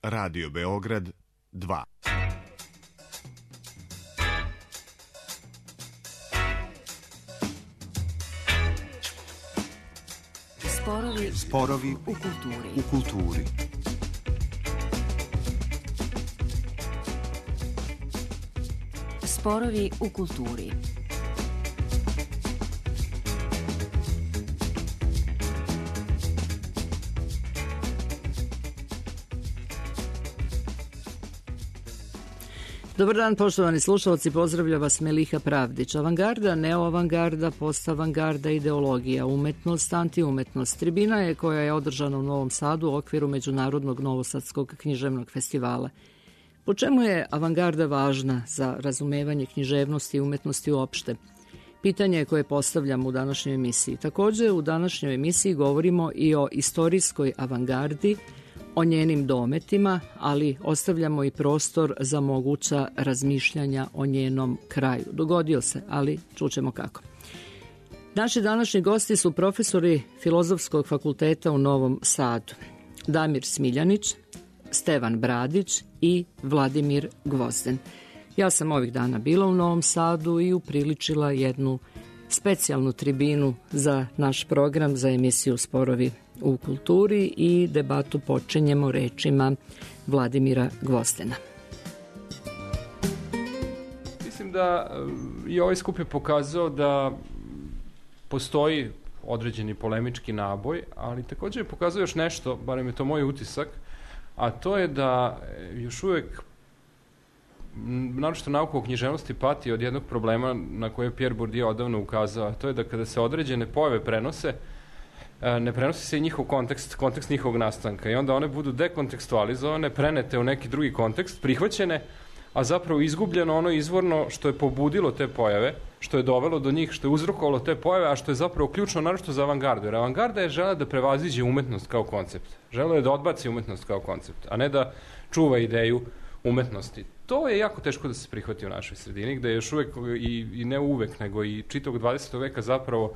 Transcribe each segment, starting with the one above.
Radio Beograd 2. Sporovi u kulturi. Sporovi u kulturi. Dobar dan, poštovani slušalci, pozdravlja vas Meliha Pravdić. Avangarda, neoavangarda, postavangarda, ideologija, umetnost, antiumetnost. Tribina je koja je održana u Novom Sadu u okviru Međunarodnog novosadskog književnog festivala. Po čemu je avangarda važna za razumevanje književnosti i umetnosti uopšte? Pitanje koje postavljam u današnjoj emisiji. Također u današnjoj emisiji govorimo i o istorijskoj avangardi, o njenim dometima, ali ostavljamo i prostor za moguća razmišljanja o njenom kraju. Dogodio se, ali čućemo kako. Naši današnji gosti su profesori Filozofskog fakulteta u Novom Sadu. Damir Smiljanić, Stevan Bradić i Vladimir Gvozden. Ja sam ovih dana bila u Novom Sadu i upriličila jednu specijalnu tribinu za naš program, za emisiju Sporovi u kulturi, i debatu počinjemo rečima Vladimira Gvozdena. Mislim da i ovaj skup je pokazao da postoji određeni polemički naboj, ali također je pokazao još nešto, barem je to moj utisak, a to je da još uvek naročito nauka o književnosti pati od jednog problema na koje je Pierre Bourdieu odavno ukazao, a to je da kada se određene pojave prenose, ne prenosi se i njihov kontekst njihovog nastanka, i onda one budu dekontekstualizovane, prenete u neki drugi kontekst, prihvaćene, a zapravo izgubljeno ono izvorno što je pobudilo te pojave, što je dovelo do njih, što je uzrokovalo te pojave, a što je zapravo ključno naročito za avangardu. Jer avangarda je žela da prevaziđe umetnost kao koncept. Žela je da odbaci umetnost kao koncept, a ne da čuva ideju umetnosti. To je jako teško da se prihvati u našoj sredini, gde je još uvek, i ne uvek, nego i čitavog 20. veka zapravo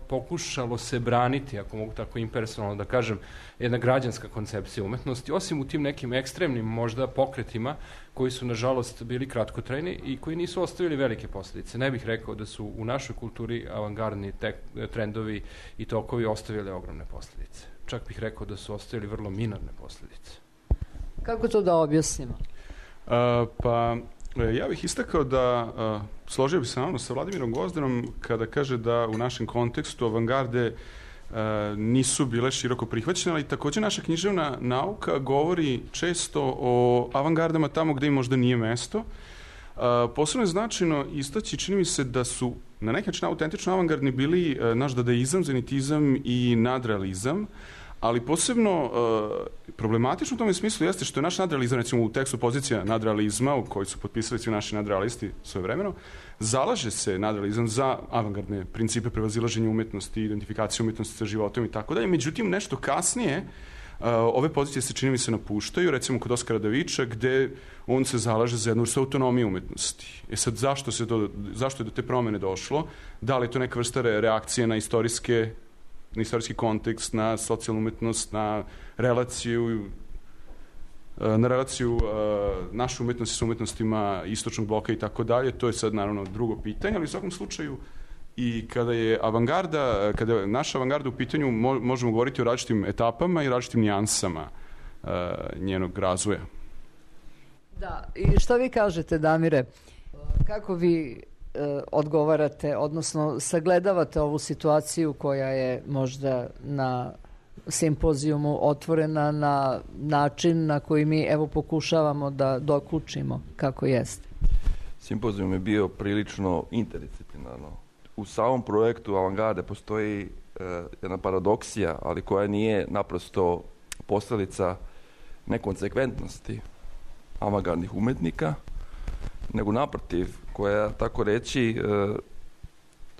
pokušalo se braniti, ako mogu tako impersonalno da kažem, jedna građanska koncepcija umetnosti, osim u tim nekim ekstremnim možda pokretima koji su nažalost bili kratkotrajni i koji nisu ostavili velike posljedice. Ne bih rekao da su u našoj kulturi avangardni trendovi i tokovi ostavili ogromne posljedice. Čak bih rekao da su ostavili vrlo minorne posljedice. Kako to da objasnimo? Ja bih istakao da složio bi se naravno sa Vladimirom Gvozdenom kada kaže da u našem kontekstu avangarde nisu bile široko prihvaćene, ali također naša književna nauka govori često o avangardama tamo gde im možda nije mesto. Posebno je značajno istaći, čini mi se da su na neki način autentično avangardni bili naš dadaizam, zenitizam i nadrealizam, ali posebno problematično u tome smislu jeste što je naš nadrealizam, recimo u tekstu Pozicija nadrealizma, u kojoj su potpisali svi naši nadrealisti svojevremeno, zalaže se nadrealizam za avangardne principe prevazilaženja umetnosti, identifikacije umetnosti sa životom i tako dalje. Međutim, nešto kasnije ove pozicije se, čini mi se, napuštaju, recimo kod Oskara Daviča, gde on se zalaže za jednu vrstu autonomije umetnosti. Sad, zašto je do te promene došlo? Da li je to neka vrsta reakcije na istorijski kontekst, na socijalnu umetnost, na relaciju naše umetnosti sa umetnostima istočnog bloka i tako dalje. To je sad naravno drugo pitanje, ali u svakom slučaju i kada je naša avangarda u pitanju, možemo govoriti o različitim etapama i različitim nijansama njenog razvoja. Da, i šta vi kažete, Damire? Kako vi odgovarate, odnosno sagledavate ovu situaciju koja je možda na simpozijumu otvorena na način na koji mi pokušavamo da dokučimo kako jeste? Simpozijum je bio prilično interdisciplinarno. U samom projektu avangarde postoji jedna paradoksija, ali koja nije naprosto posljedica nekonsekventnosti avangardnih umetnika, nego naprotiv, koja, tako reći,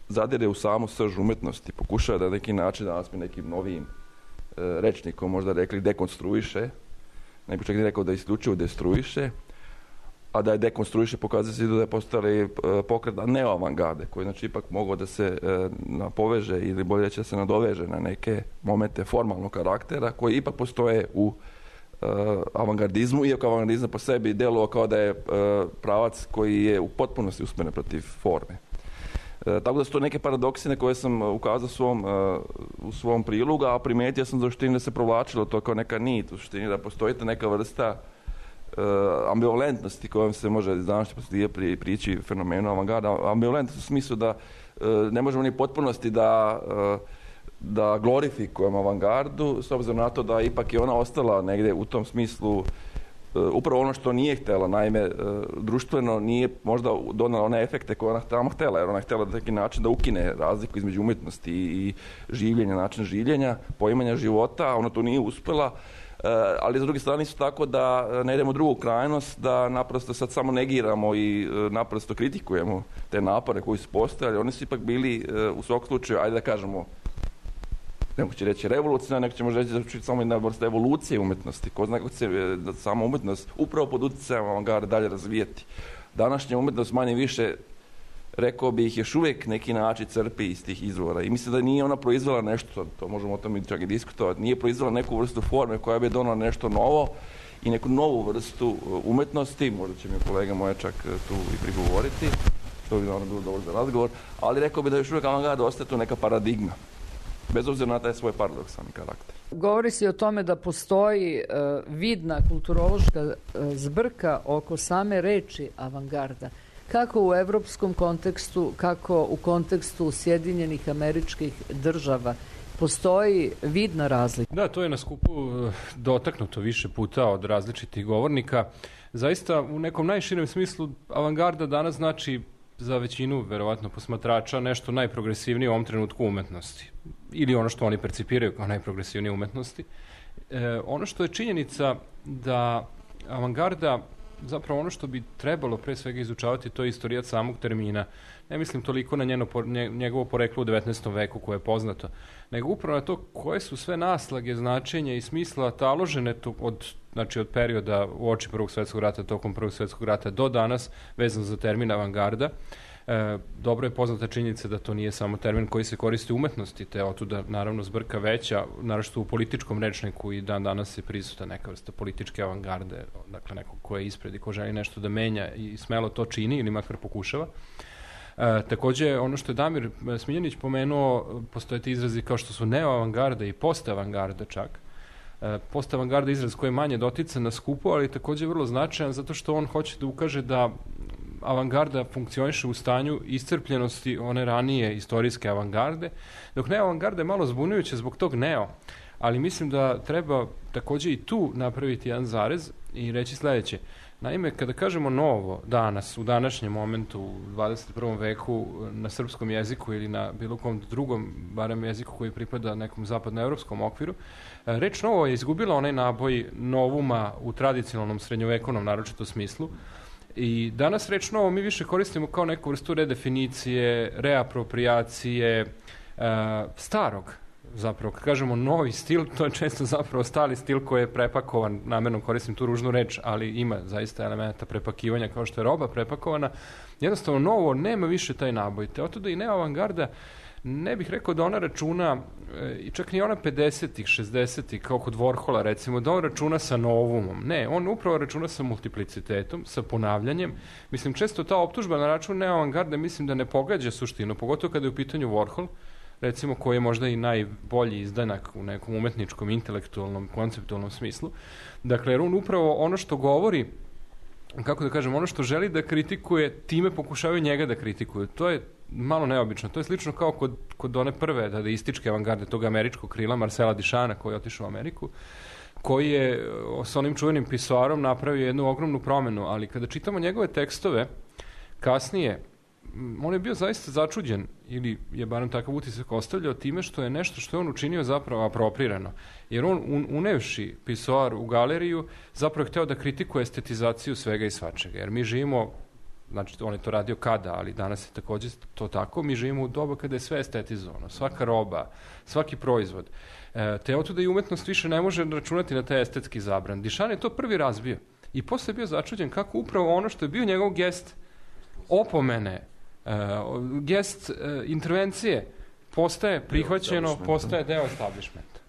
zadire u samu srž umetnosti, pokušava da na neki način, danas mi nekim novim rečnikom možda rekli, dekonstruiše, ne bih čak ni rekao da isključivo destruiše, a da je dekonstruiše pokazuje se da je postali pokret neoavangarde, koji znači ipak mogao da se poveže ili bolje reći da se nadoveže na neke momente formalnog karaktera koji ipak postoje u avangardizmu, iako avangardizam po sebi djelovao kao da je pravac koji je u potpunosti usmjeren protiv forme. Tako da su to neke paradoksi na koje sam ukazao u svom prilogu, a primijetio sam da se provlačilo to kao neka nit, u suštini da postoji neka vrsta ambivalentnosti kojom se može iz današnje perspektive prići fenomenu avangarda. Ambivalentnost u smislu da ne možemo ni potpunosti da glorifikujemo avangardu, s obzirom na to da ipak je ona ostala negdje u tom smislu upravo ono što nije htjela. Naime, društveno nije možda donala one efekte koje ona tamo htjela, jer ona je htjela na neki način da ukine razliku između umjetnosti i življenja, način življenja, poimanja života, a ona to nije uspjela. Ali s druge strane isto tako da ne idemo u drugu krajnost, da naprosto sad samo negiramo i naprosto kritikujemo te napore koji su postojali. Oni su ipak bili u svakom slučaju, ajde da kažemo, neko će reći revolucija, neko će možda reći da će samo jedna vrsta evolucije umjetnosti. Ko zna kako će da sama umjetnost upravo pod utjecajem avangarda dalje razvijeti. Današnja umjetnost manje više, rekao bih, još uvijek neki način crpi iz tih izvora. I mislim da nije ona proizvela nešto, to možemo o tome čak i diskutovati, nije proizvela neku vrstu forme koja bi donala nešto novo i neku novu vrstu umjetnosti, možda će mi kolega moja čak tu i prigovoriti, što bi naravno bilo dobro za razgovor, ali rekao bi da još uvijek avangarda ostaje tu neka paradigma, bez obzira na taj svoj paradoksalni karakter. Govori se o tome da postoji vidna kulturološka zbrka oko same reči avangarda. Kako u evropskom kontekstu, kako u kontekstu Sjedinjenih Američkih Država postoji vidna razlika? Da, to je na skupu dotaknuto više puta od različitih govornika. Zaista u nekom najširem smislu avangarda danas znači za većinu, verovatno, posmatrača nešto najprogresivnije u ovom trenutku umetnosti. Ili ono što oni percipiraju kao najprogresivnije umetnosti. Ono što je činjenica da avangarda, zapravo ono što bi trebalo pre svega izučavati, to je istorijat samog termina. Ne mislim toliko na njegovo poreklo u 19. veku koje je poznato, nego upravo na to koje su sve naslage, značenja i smisla taložene od perioda uoči Prvog svjetskog rata, tokom Prvog svjetskog rata do danas, vezano za termin avangarda. Dobro je poznata činjenica da to nije samo termin koji se koristi u umetnosti, te otuda naravno zbrka veća, naročito u političkom rečniku i dan danas je prisuta neka vrsta političke avangarde, dakle neko ko je ispred i ko želi nešto da menja i smelo to čini ili makar pokušava. Također, ono što je Damir Smiljanić pomenuo, postoje ti izrazi kao što su neoavangarda i postavangarda čak. Postavangarda je izraz koji je manje dotican na skupu, ali također vrlo značajan zato što on hoće da ukaže da avangarda funkcioniše u stanju iscrpljenosti one ranije istorijske avangarde, dok neoavangarda je malo zbunjujuće zbog tog neo, ali mislim da treba također i tu napraviti jedan zarez i reći sljedeće. Naime, kada kažemo novo danas, u današnjem momentu, u 21. veku, na srpskom jeziku ili na bilo kom drugom, barem jeziku koji pripada nekom zapadnoevropskom okviru, reč novo je izgubila onaj naboj novuma u tradicionalnom srednjovekovnom naročito smislu. I danas reč novo mi više koristimo kao neku vrstu redefinicije, reapropriacije starog. Zapravo, kad kažemo novi stil, to je često zapravo stari stil koji je prepakovan, namjerno koristim tu ružnu reč, ali ima zaista elementa prepakivanja kao što je roba prepakovana. Jednostavno, novo nema više taj naboj. Te otuda i neoavangarda, ne bih rekao da ona računa, i čak ni ona 50-ih, 60-ih, kao kod Warhola recimo, da on računa sa novumom. Ne, on upravo računa sa multiplicitetom, sa ponavljanjem. Mislim, često ta optužba na račun neoavangarde mislim da ne pogađa suštinu, pogotovo kada je u pitanju Warhol, recimo koji je možda i najbolji izdanak u nekom umetničkom, intelektualnom, konceptualnom smislu. Dakle, jer on upravo ono što govori, kako da kažem, ono što želi da kritikuje, time pokušavaju njega da kritikuju. To je malo neobično. To je slično kao kod one prve dadaističke avangarde, tog američkog krila, Marcela Duchampa, koji je otišao u Ameriku, koji je s onim čuvenim pisoarom napravio jednu ogromnu promenu, ali kada čitamo njegove tekstove, kasnije, on je bio zaista začuđen, ili je barem takav utisak ostavljao time što je nešto što je on učinio zapravo aproprirano. Jer on, unevši pisoar u galeriju, zapravo je hteo da kritikuje estetizaciju svega i svačega. Jer mi živimo, znači on je to radio kada, ali danas je također to tako, mi živimo u doba kada je sve estetizovano, svaka roba, svaki proizvod. Te otuda i umetnost više ne može računati na taj estetski zabran. Duchamp je to prvi razbio i posle je bio začuđen kako upravo ono što je bio njegov gest opomene, gest intervencije postaje prihvaćeno, postaje deo establishmenta.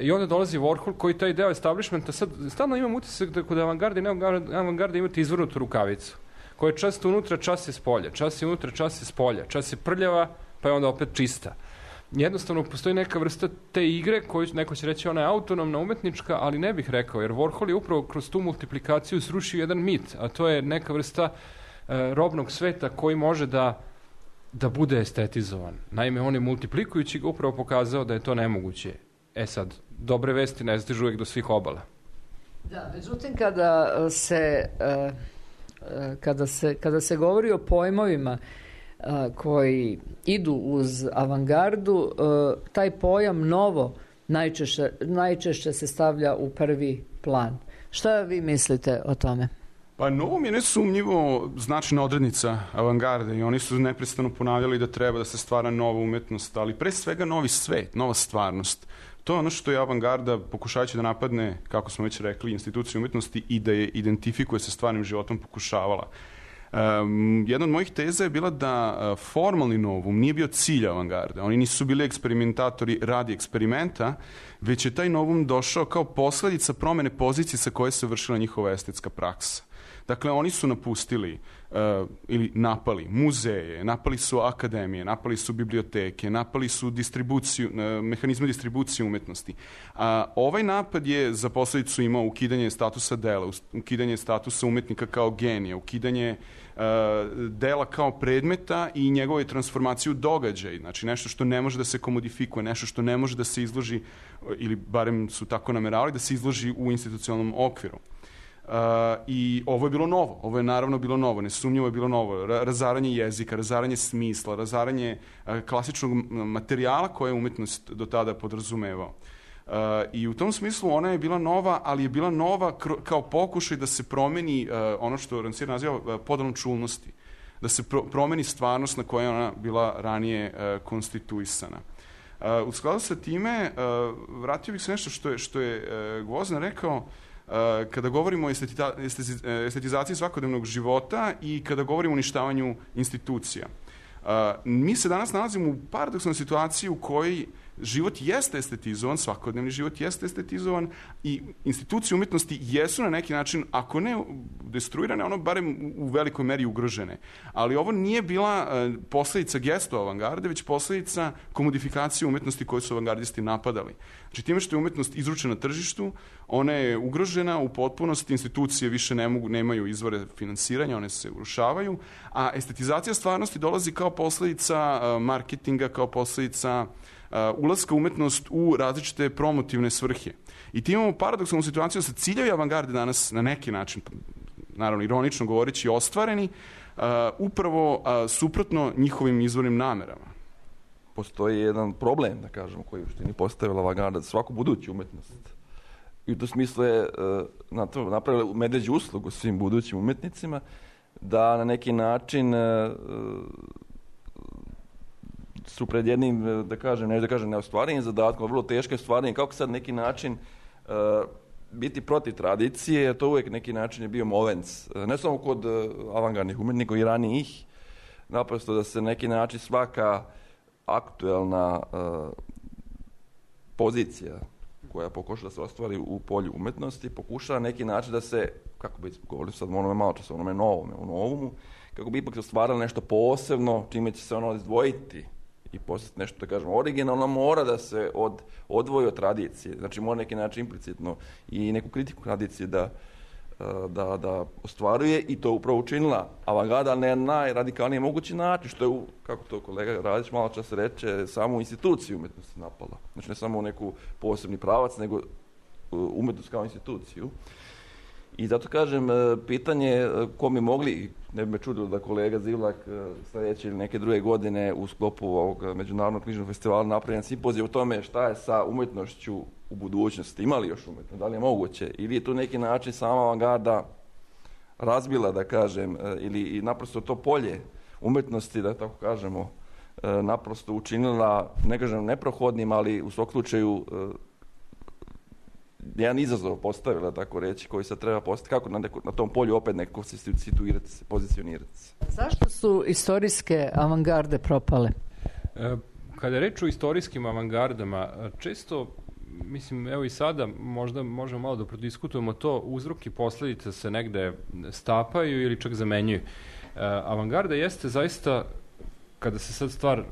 I onda dolazi Warhol koji taj deo establishmenta, sad stalno imam utisak da kod avangarde i neavangarde imate izvrnutu rukavicu, koja je čast unutra, čas je spolja, čas je unutra, čas je spolja, čas je prljava, pa je onda opet čista. Jednostavno postoji neka vrsta te igre koju neko će reći ona je autonomna, umetnička, ali ne bih rekao, jer Warhol je upravo kroz tu multiplikaciju srušio jedan mit, a to je neka vrsta robnog sveta koji može da bude estetizovan. Naime, on je multiplikujući ga upravo pokazao da je to nemoguće. Sad, dobre vesti ne stižu uvijek do svih obala. Da, međutim, kada se govori o pojmovima koji idu uz avangardu, taj pojam novo najčešće se stavlja u prvi plan. Šta vi mislite o tome? Pa novom je nesumnjivo značajna odrednica avangarde i oni su neprestano ponavljali da treba da se stvara nova umetnost, ali pre svega novi svet, nova stvarnost. To je ono što je avangarda, pokušavajući da napadne, kako smo već rekli, instituciju umetnosti i da je identifikuje sa stvarnim životom, pokušavala. Jedna od mojih teza je bila da formalni novum nije bio cilj avangarde. Oni nisu bili eksperimentatori radi eksperimenta, već je taj novum došao kao posledica promene pozicije sa koje se vršila njihova estetska praksa. Dakle, oni su napustili ili napali muzeje, napali su akademije, napali su biblioteke, napali su mehanizme distribucije umetnosti. Ovaj napad je za posledicu imao ukidanje statusa dela, ukidanje statusa umetnika kao genija, ukidanje dela kao predmeta i njegove transformaciju događaj. Znači, nešto što ne može da se komodifikuje, nešto što ne može da se izloži, ili barem su tako nameravali, da se izloži u institucionalnom okviru. I ovo je bilo novo, ovo je naravno bilo novo, nesumnjivo je bilo novo, razaranje jezika, razaranje smisla, razaranje klasičnog materijala koje je umetnost do tada podrazumevao. I u tom smislu ona je bila nova, ali je bila nova kao pokušaj da se promeni ono što Rancière naziva podelom čulnosti, da se promeni stvarnost na kojoj je ona bila ranije konstituisana. U skladu sa time, vratio bih se nešto što je Gvozden rekao, kada govorimo o estetizaciji svakodnevnog života i kada govorimo o uništavanju institucija. Mi se danas nalazimo u paradoksalnoj situaciji u kojoj život jeste estetizovan, svakodnevni život jeste estetizovan i institucije umetnosti jesu na neki način, ako ne destruirane, ono barem u velikoj meri ugrožene. Ali ovo nije bila posledica gesta avangarde, već posledica komodifikacije umetnosti koju su avangardisti napadali. Znači, time što je umetnost izručena tržištu, ona je ugrožena u potpunosti, institucije više nemaju izvore finansiranja, one se urušavaju, a estetizacija stvarnosti dolazi kao posledica marketinga, kao posledica ulaska umetnost u različite promotivne svrhe. I ti imamo paradoksalnu situaciju sa ciljevi avangarde danas na neki način, naravno ironično govoreći, ostvareni, upravo suprotno njihovim izvornim namerama. Postoji jedan problem, da kažemo, koji u štini postavila avangarda za svaku buduću umetnost. I u tom smislu je napravila medveđu uslugu svim budućim umetnicima da na neki način su pred jednim, neostvarenim zadatkom, vrlo teško ostvarenje, kako sad neki način biti protiv tradicije, jer to uvijek neki način je bio molenc, ne samo kod avangardnih umetnika i ranijih, naprosto da se neki način svaka aktuelna pozicija koja pokuša da se ostvari u polju umetnosti, pokuša na neki način da se, kako bi govorili sad onome malo čas, onome novumu, kako bi ipak ostvarilo nešto posebno, čime će se ono izdvojiti i postati nešto, da kažemo, originalno, mora da se odvoji od tradicije. Znači, mora neki način implicitno i neku kritiku tradicije da ostvaruje i to upravo učinila avangarda na najradikalniji mogući način, što je, kako to kolega Radić malo čas reče, samu instituciju umetnosti napala. Znači, ne samo neku posebni pravac, nego umetnost kao instituciju. I zato kažem, pitanje ko mi mogli, ne bi me čudilo da kolega Zivlak sljedeće ili neke druge godine u sklopu ovog Međunarodnog knjižnog festivala napravljen simpozij o tome šta je sa umetnošću u budućnosti. Ima li još umetnost? Da li je moguće? Ili je tu neki način sama avangarda razbila, da kažem, ili naprosto to polje umetnosti, da tako kažemo, naprosto učinila, ne kažem neprohodnim, ali u svakom slučaju jedan izazov postavila, tako reći, koji se treba postaviti, kako na tom polju opet neko se situirati, se pozicionirati. Zašto su istorijske avangarde propale? Kada je reč o istorijskim avangardama, često mislim, evo i sada možda možemo malo da prodiskutujemo to, uzrok i posledice se negde stapaju ili čak zamenjuju. Avangarda jeste zaista, kada se sad stvar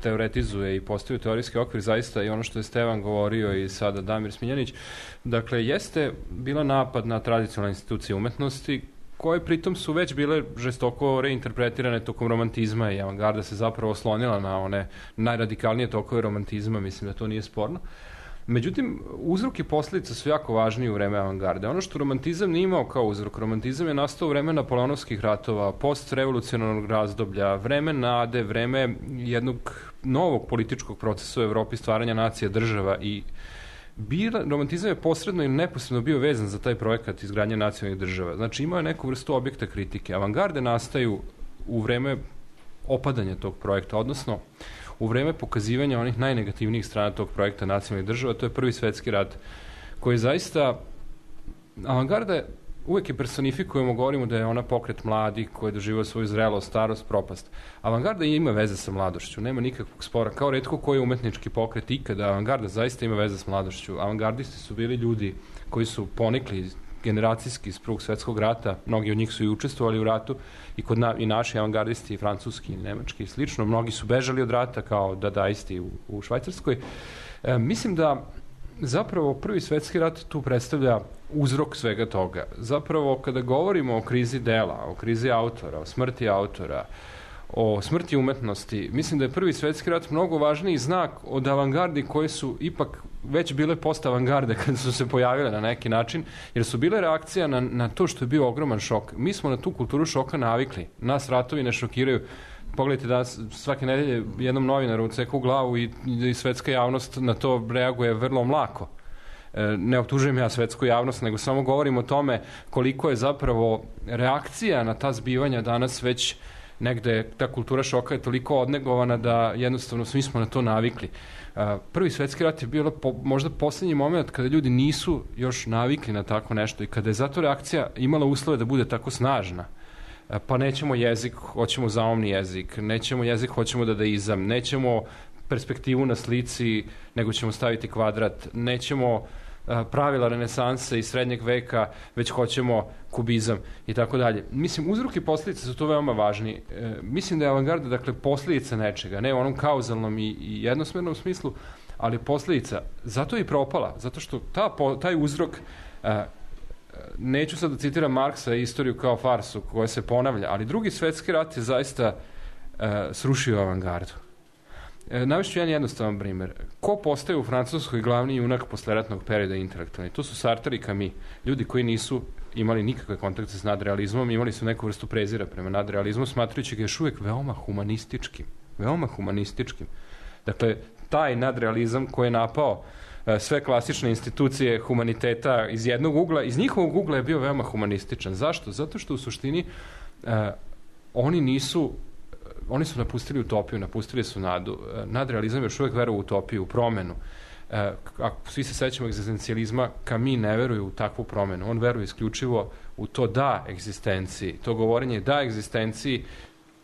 teoretizuje i postoji teorijski okvir, zaista i ono što je Stevan govorio i sada Damir Smiljanić, dakle, jeste bila napad na tradicionalne institucije umetnosti, koje pritom su već bile žestoko reinterpretirane tokom romantizma i avangarda se zapravo oslonila na one najradikalnije tokove romantizma, mislim da to nije sporno. Međutim, uzrok i posljedice su jako važni u vreme avangarde. Ono što romantizam nije imao kao uzrok, romantizam je nastao u vreme Napoleonovskih ratova, postrevolucionarnog razdoblja, vreme nade, vreme jednog novog političkog procesa u Evropi, stvaranja nacija, država i romantizam je posredno ili neposredno bio vezan za taj projekat izgradnje nacionalnih država. Znači, imao je neku vrstu objekta kritike. Avangarde nastaju u vreme opadanja tog projekta, odnosno u vreme pokazivanja onih najnegativnijih strana tog projekta nacionalnih država, to je Prvi svetski rat, koji zaista, avangarda uvek je personifikujemo, govorimo da je ona pokret mladih koji je doživio svoju zrelost, starost, propast. Avangarda ima veze sa mladošću, nema nikakvog spora, kao retko koji umetnički pokret ikada, avangarda zaista ima veze s mladošću. Avangardisti su bili ljudi koji su ponikli generacijski iz Prvog svetskog rata, mnogi od njih su i učestvovali u ratu i naši avangardisti, i francuski, i nemački i slično, mnogi su bežali od rata kao dadaisti u Švajcarskoj. Mislim da zapravo Prvi svetski rat tu predstavlja uzrok svega toga. Zapravo, kada govorimo o krizi dela, o krizi autora, o smrti autora, o smrti umetnosti, mislim da je Prvi svetski rat mnogo važniji znak od avangardi koje su ipak već bile post-avangarde kada su se pojavile na neki način, jer su bile reakcija na to što je bio ogroman šok. Mi smo na tu kulturu šoka navikli. Nas ratovi ne šokiraju. Pogledajte danas, svake nedelje jednom novinaru odseku glavu i svetska javnost na to reaguje vrlo mlako. Ne optužujem ja svetsku javnost, nego samo govorim o tome koliko je zapravo reakcija na ta zbivanja danas već negde, ta kultura šoka je toliko odnegovana da jednostavno svi smo na to navikli. Prvi svetski rat je bio možda poslednji moment kada ljudi nisu još navikli na tako nešto i kada je zato reakcija imala uslove da bude tako snažna. Pa nećemo jezik, hoćemo zaumni jezik, nećemo jezik, hoćemo dadaizam, nećemo perspektivu na slici, nego ćemo staviti kvadrat, nećemo pravila renesanse i srednjeg veka, već hoćemo kubizam i tako dalje. Mislim, uzrok i posljedice su to veoma važni. Mislim da je avangarda, dakle, posljedica nečega, ne u onom kauzalnom i jednosmernom smislu, ali posljedica. Zato je i propala, zato što taj uzrok, neću sad da citiram Marksa i istoriju kao farsu koja se ponavlja, ali Drugi svetski rat je zaista srušio avangardu. Navešću jedan jednostavan primer. Ko postaje u Francuskoj glavni junak posleratnog perioda intelektualni? To su Sartre i Camus. Ljudi koji nisu imali nikakve kontakte s nadrealizmom, imali su neku vrstu prezira prema nadrealizmu, smatrajući ga još uvek veoma humanističkim. Veoma humanističkim. Dakle, taj nadrealizam koji je napao sve klasične institucije humaniteta iz jednog ugla, iz njihovog ugla je bio veoma humanističan. Zašto? Zato što u suštini oni su napustili utopiju, napustili su nadu. Nadrealizam još uvek veruje u utopiju, u promenu. Ako svi se sećamo egzistencijalizma, Camus ne veruje u takvu promenu. On veruje isključivo u to da egzistenciji. To govorenje da egzistenciji,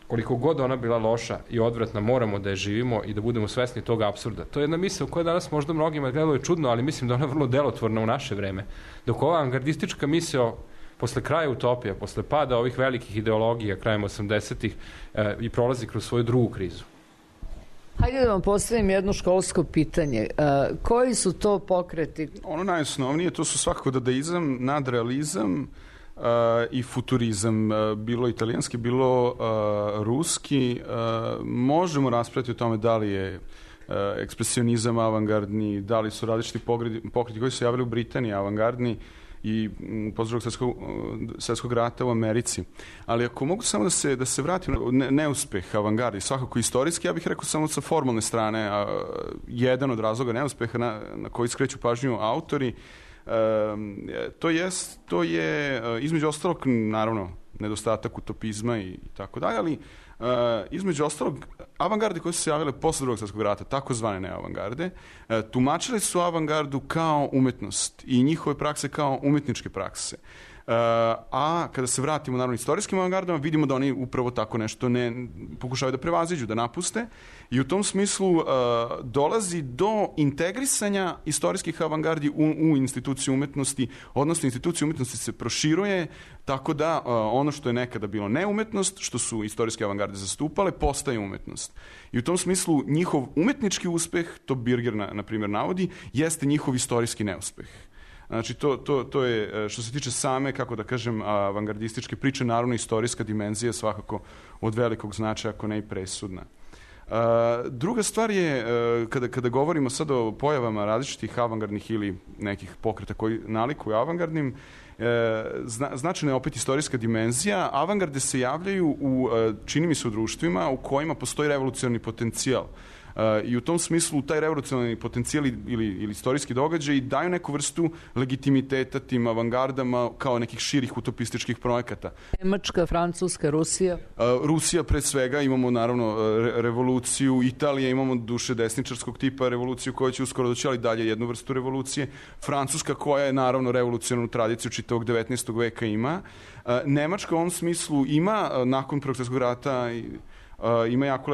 koliko god ona bila loša i odvratna, moramo da je živimo i da budemo svesni tog apsurda. To je jedna misao koja danas možda mnogima gledalo je čudno, ali mislim da ona je vrlo delotvorna u naše vreme. Dok ova avangardistička misao posle kraja utopija, posle pada ovih velikih ideologija krajem 80-ih i prolazi kroz svoju drugu krizu. Hajde da vam postavim jedno školsko pitanje. Koji su to pokreti? Ono najosnovnije, to su svakako dadaizam, nadrealizam i futurizam. Bilo italijanski, bilo ruski. Možemo raspraviti o tome da li je ekspresionizam avangardni, da li su različiti pokreti koji su javili u Britaniji avangardni i posle Drugog svetskog rata u Americi. Ali ako mogu samo da se vratim na neuspeh avangardi, svakako istorijski, ja bih rekao samo sa formalne strane, jedan od razloga neuspeha na koji skreću pažnju autori, to je između ostalog, naravno, nedostatak utopizma i tako dalje, ali između ostalog, avangarde koje su se javile posle Drugog svetskog rata, takozvane neavangarde, tumačili su avangardu kao umetnost i njihove prakse kao umetničke prakse. A kada se vratimo naravno istorijskim avangardama, vidimo da oni upravo tako nešto ne pokušavaju da prevaziđu, da napuste, i u tom smislu dolazi do integrisanja istorijskih avangardi u instituciju umetnosti, odnosno institucija umetnosti se proširuje tako da ono što je nekada bilo neumetnost, što su istorijske avangarde zastupale, postaje umetnost. I u tom smislu njihov umetnički uspeh, to Birger na primjer navodi, jeste njihov istorijski neuspeh. Znači, to je, što se tiče same, kako da kažem, avangardističke priče, naravno istorijska dimenzija svakako od velikog značaja, ako ne i presudna. Druga stvar je, kada govorimo sad o pojavama različitih avangardnih ili nekih pokreta koji nalikuju avangardnim, značajna je opet istorijska dimenzija. Avangarde se javljaju čini mi se, u društvima u kojima postoji revolucionarni potencijal. I u tom smislu taj revolucionarni potencijal ili istorijski događaj daju neku vrstu legitimiteta tim avangardama kao nekih širih utopističkih projekata. Nemačka, Francuska, Rusija? Rusija pre svega, imamo naravno revoluciju, Italija, imamo duše desničarskog tipa revoluciju koja će uskoro doći, ali dalje jednu vrstu revolucije. Francuska koja je naravno revolucionarnu tradiciju čitavog 19. veka ima. Nemačka u ovom smislu ima nakon Prvog svjetskog rata ima jako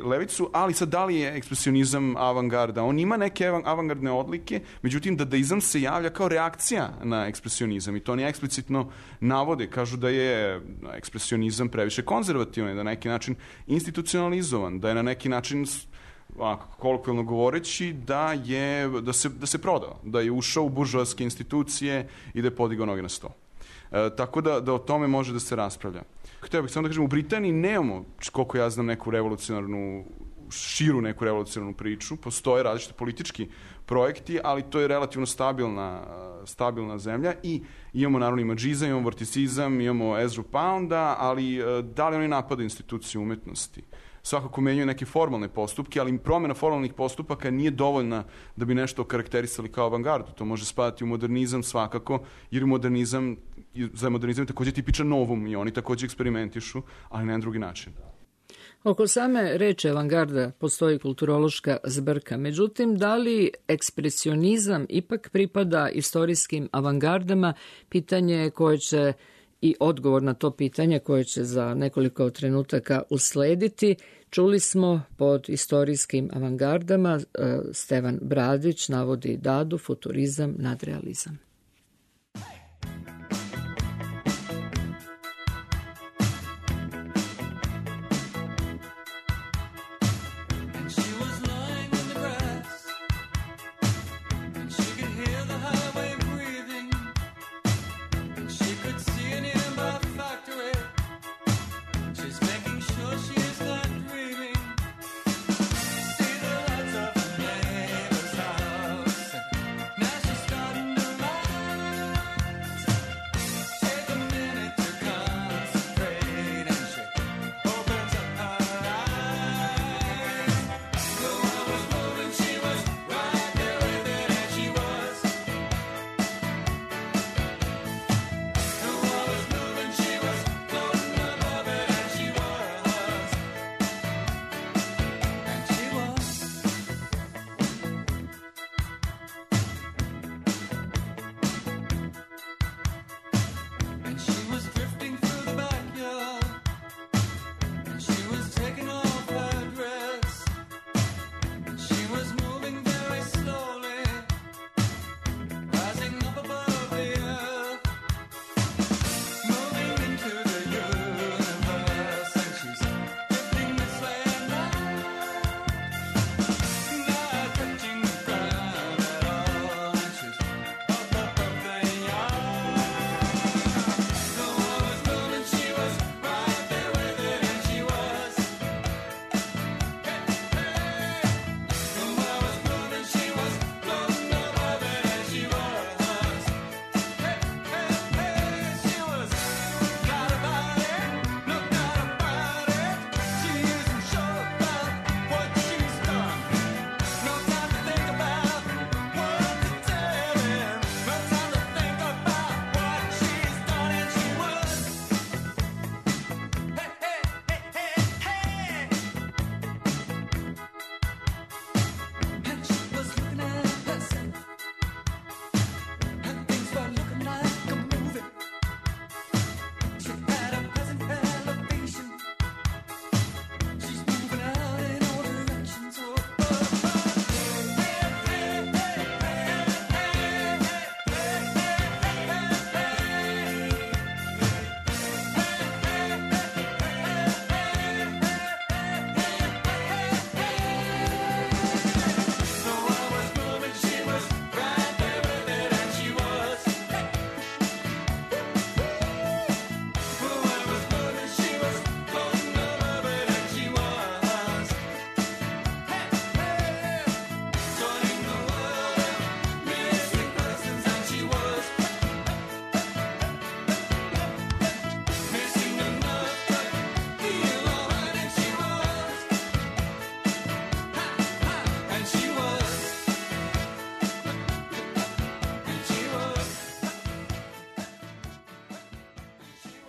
levicu, ali sad da li je ekspresionizam avangarda? On ima neke avangardne odlike, međutim dadaizam se javlja kao reakcija na ekspresionizam i to oni eksplicitno navode. Kažu da je ekspresionizam previše konzervativan, da je na neki način institucionalizovan, da je na neki način, kolokvijalno govoreći, da se prodao, da je ušao u buržoaske institucije i da je podigao noge na sto. Tako da o tome može da se raspravlja. Htio bih samo da kažem, u Britaniji nemamo, koliko ja znam, neku širu revolucionarnu priču. Postoje različite politički projekti, ali to je relativno stabilna zemlja i imamo naravno imagizam, imamo vorticizam, imamo Ezru Pounda, ali da li oni napadaju instituciju umetnosti? Svakako menjaju neke formalne postupke, ali promjena formalnih postupaka nije dovoljna da bi nešto okarakterisali kao avangardu. To može spadati u modernizam svakako, jer za modernizam je također tipičan novum i oni također eksperimentišu, ali na jedan drugi način. Oko same reči avangarda postoji kulturološka zbrka. Međutim, da li ekspresionizam ipak pripada istorijskim avangardama, pitanje koje će i odgovor na to pitanje koje će za nekoliko trenutaka uslediti. Čuli smo pod istorijskim avangardama, Stevan Bradić navodi Dadu, futurizam, nadrealizam. Now she's starting to rise.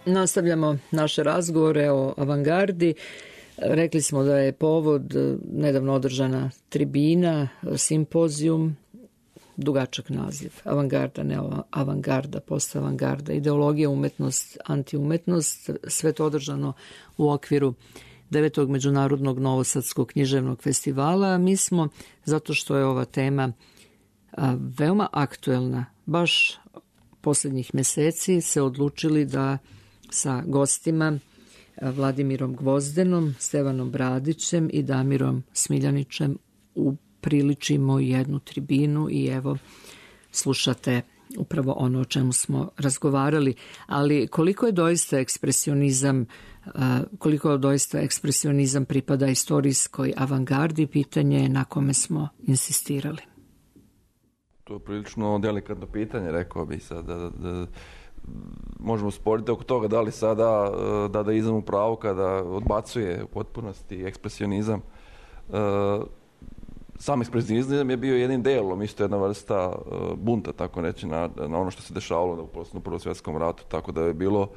Nastavljamo naše razgovore o avangardi. Rekli smo da je povod nedavno održana tribina, simpozijum, dugačak naziv. Avangarda, ne avangarda, postavangarda, ideologija, umetnost, antiumetnost. Sve to održano u okviru 9. Međunarodnog Novosadskog književnog festivala. Mi smo, zato što je ova tema veoma aktuelna, baš posljednjih meseci se odlučili da sa gostima Vladimirom Gvozdenom, Stevanom Bradićem i Damirom Smiljanićem upriličimo jednu tribinu i evo slušate upravo ono o čemu smo razgovarali. Ali koliko doista ekspresionizam pripada istorijskoj avangardi, pitanje je na kome smo insistirali. To je prilično delikatno pitanje, rekao bih sad. Da možemo sporiti oko toga da li sada dadaizam u pravu kada odbacuje u potpunosti ekspresionizam. Sam ekspresionizam je bio jednim delom, isto jedna vrsta bunta, tako reći, na ono što se dešavalo u Prvom svjetskom ratu, tako da je bilo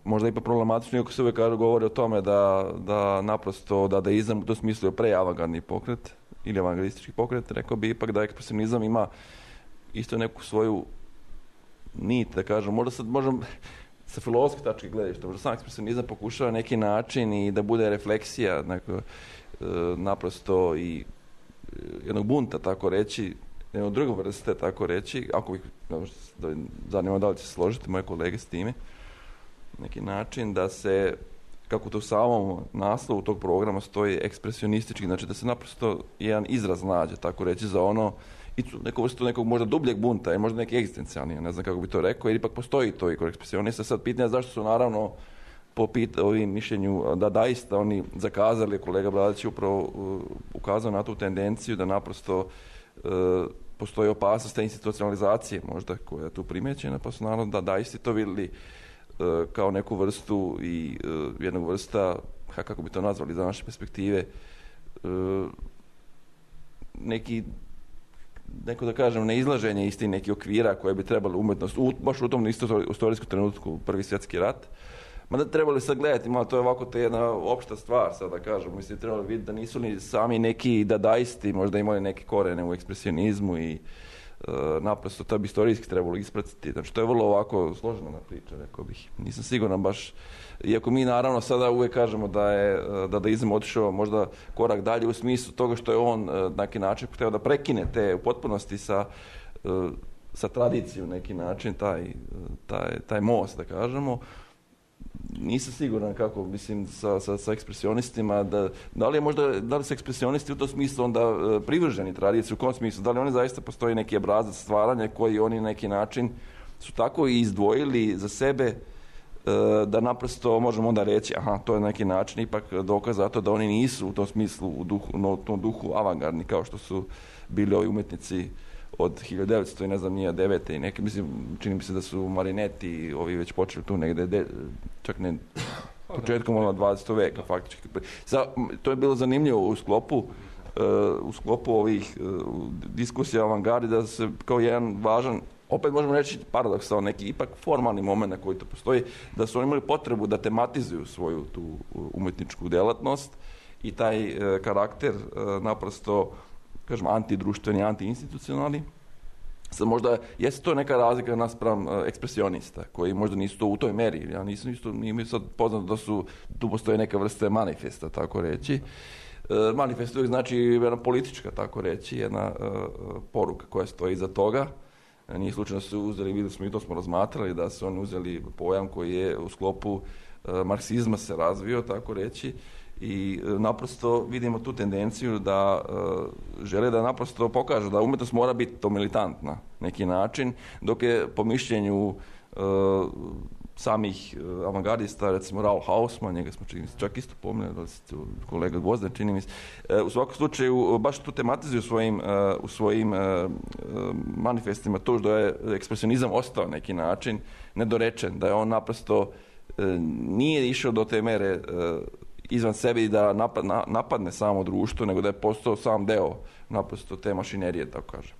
možda ipak problematično, iako se uvijek govori o tome da naprosto dadaizam u tom smislu je preavangardni pokret ili avangardistički pokret, rekao bi ipak da ekspresionizam ima isto neku svoju nit, da kažem, možda sa filozofske tačke gledišta, možda sam ekspresionizam pokušava neki način i da bude refleksija naprosto i jednog bunta, tako reći, jednog druge vrste, tako reći, ako bih, zanima da li će se složiti moje kolege s time, neki način da se, kako to u samom naslovu tog programa stoji ekspresionistički, znači da se naprosto jedan izraz nađe, tako reći, za ono, i neku vrstu nekog možda dubljeg bunta, možda neki egzistencijalni, ne znam kako bi to rekao, jer ipak postoji to i kod ekspresionista. Sad pitanje zašto su naravno po ovim mišljenju dadaista oni zakazali, kolega Bradić je upravo ukazao na tu tendenciju da naprosto postoji opasnost te institucionalizacije možda koja je tu primjećena, pa su naravno dadaisti to vidjeli kao neku vrstu i jednog vrsta, kako bi to nazvali za naše perspektive, neko da kažem neizlaženje isti neki okvira koje bi trebali umetnost, baš u tom istorijskom trenutku, Prvi svjetski rat. Mada trebali sad gledati, malo to je ovako to je jedna opšta stvar, sad da kažem, mislim, trebali vidjeti da nisu ni sami neki dadaisti, možda imali neke korene u ekspresionizmu i naprosto to bi istorijski trebalo ispratiti. Znači, to je vrlo ovako složena priča, rekao bih. Nisam siguran baš, iako mi naravno sada uvijek kažemo da je dadaizam otišao možda korak dalje u smislu toga što je on na neki način htio da prekine te u potpunosti sa tradicijom neki način, taj most, da kažemo. Nisam siguran kako, mislim, sa ekspresionistima, da li su ekspresionisti u tom smislu onda privrženi tradiciji, u kom smislu, da li oni zaista postoji neki obrazac stvaranja koji oni na neki način su tako i izdvojili za sebe da naprosto možemo onda reći, aha, to je na neki način ipak dokaz za to da oni nisu u tom smislu u tom duhu avangardni kao što su bili ovi umjetnici od 1900 i ne znam nije 9. i neke, mislim, čini mi se da su Marinetti ovi već počeli tu negdje, čak ne početkom 20. veka faktički. To je bilo zanimljivo u sklopu ovih diskusija o avangardi da se kao jedan važan, opet možemo reći paradoksalno, neki ipak formalni moment na koji to postoji, da su oni imali potrebu da tematizuju svoju tu umjetničku djelatnost i taj karakter naprosto, kažem, antidruštveni, antiinstitucionalni. Sad možda, jeste to neka razlika naspram ekspresionista, koji možda nisu to u toj meri. Ja nije mi sad poznato da tu postoje neka vrste manifesta, tako reći. Manifest uvijek znači jedna politička, tako reći, jedna poruka koja stoji iza toga. Nije slučajno su uzeli, vidjeli smo i to smo razmatrali, da su oni uzeli pojam koji je u sklopu marksizma se razvio, tako reći, i naprosto vidimo tu tendenciju da žele da naprosto pokažu da umjetnost mora biti to militantna neki način, dok je po mišljenju samih avangardista, recimo Raoul Hausmann, njega smo čak isto pomenuli, da ste kolega Gvozden, čini mi se, u svakom slučaju baš tu tematizuju u svojim manifestima to što je ekspresionizam ostao neki način nedorečen, da je on naprosto nije išao do te mere izvan sebe i da napadne samo društvo, nego da je postao sam deo naprosto te mašinerije, tako kažem.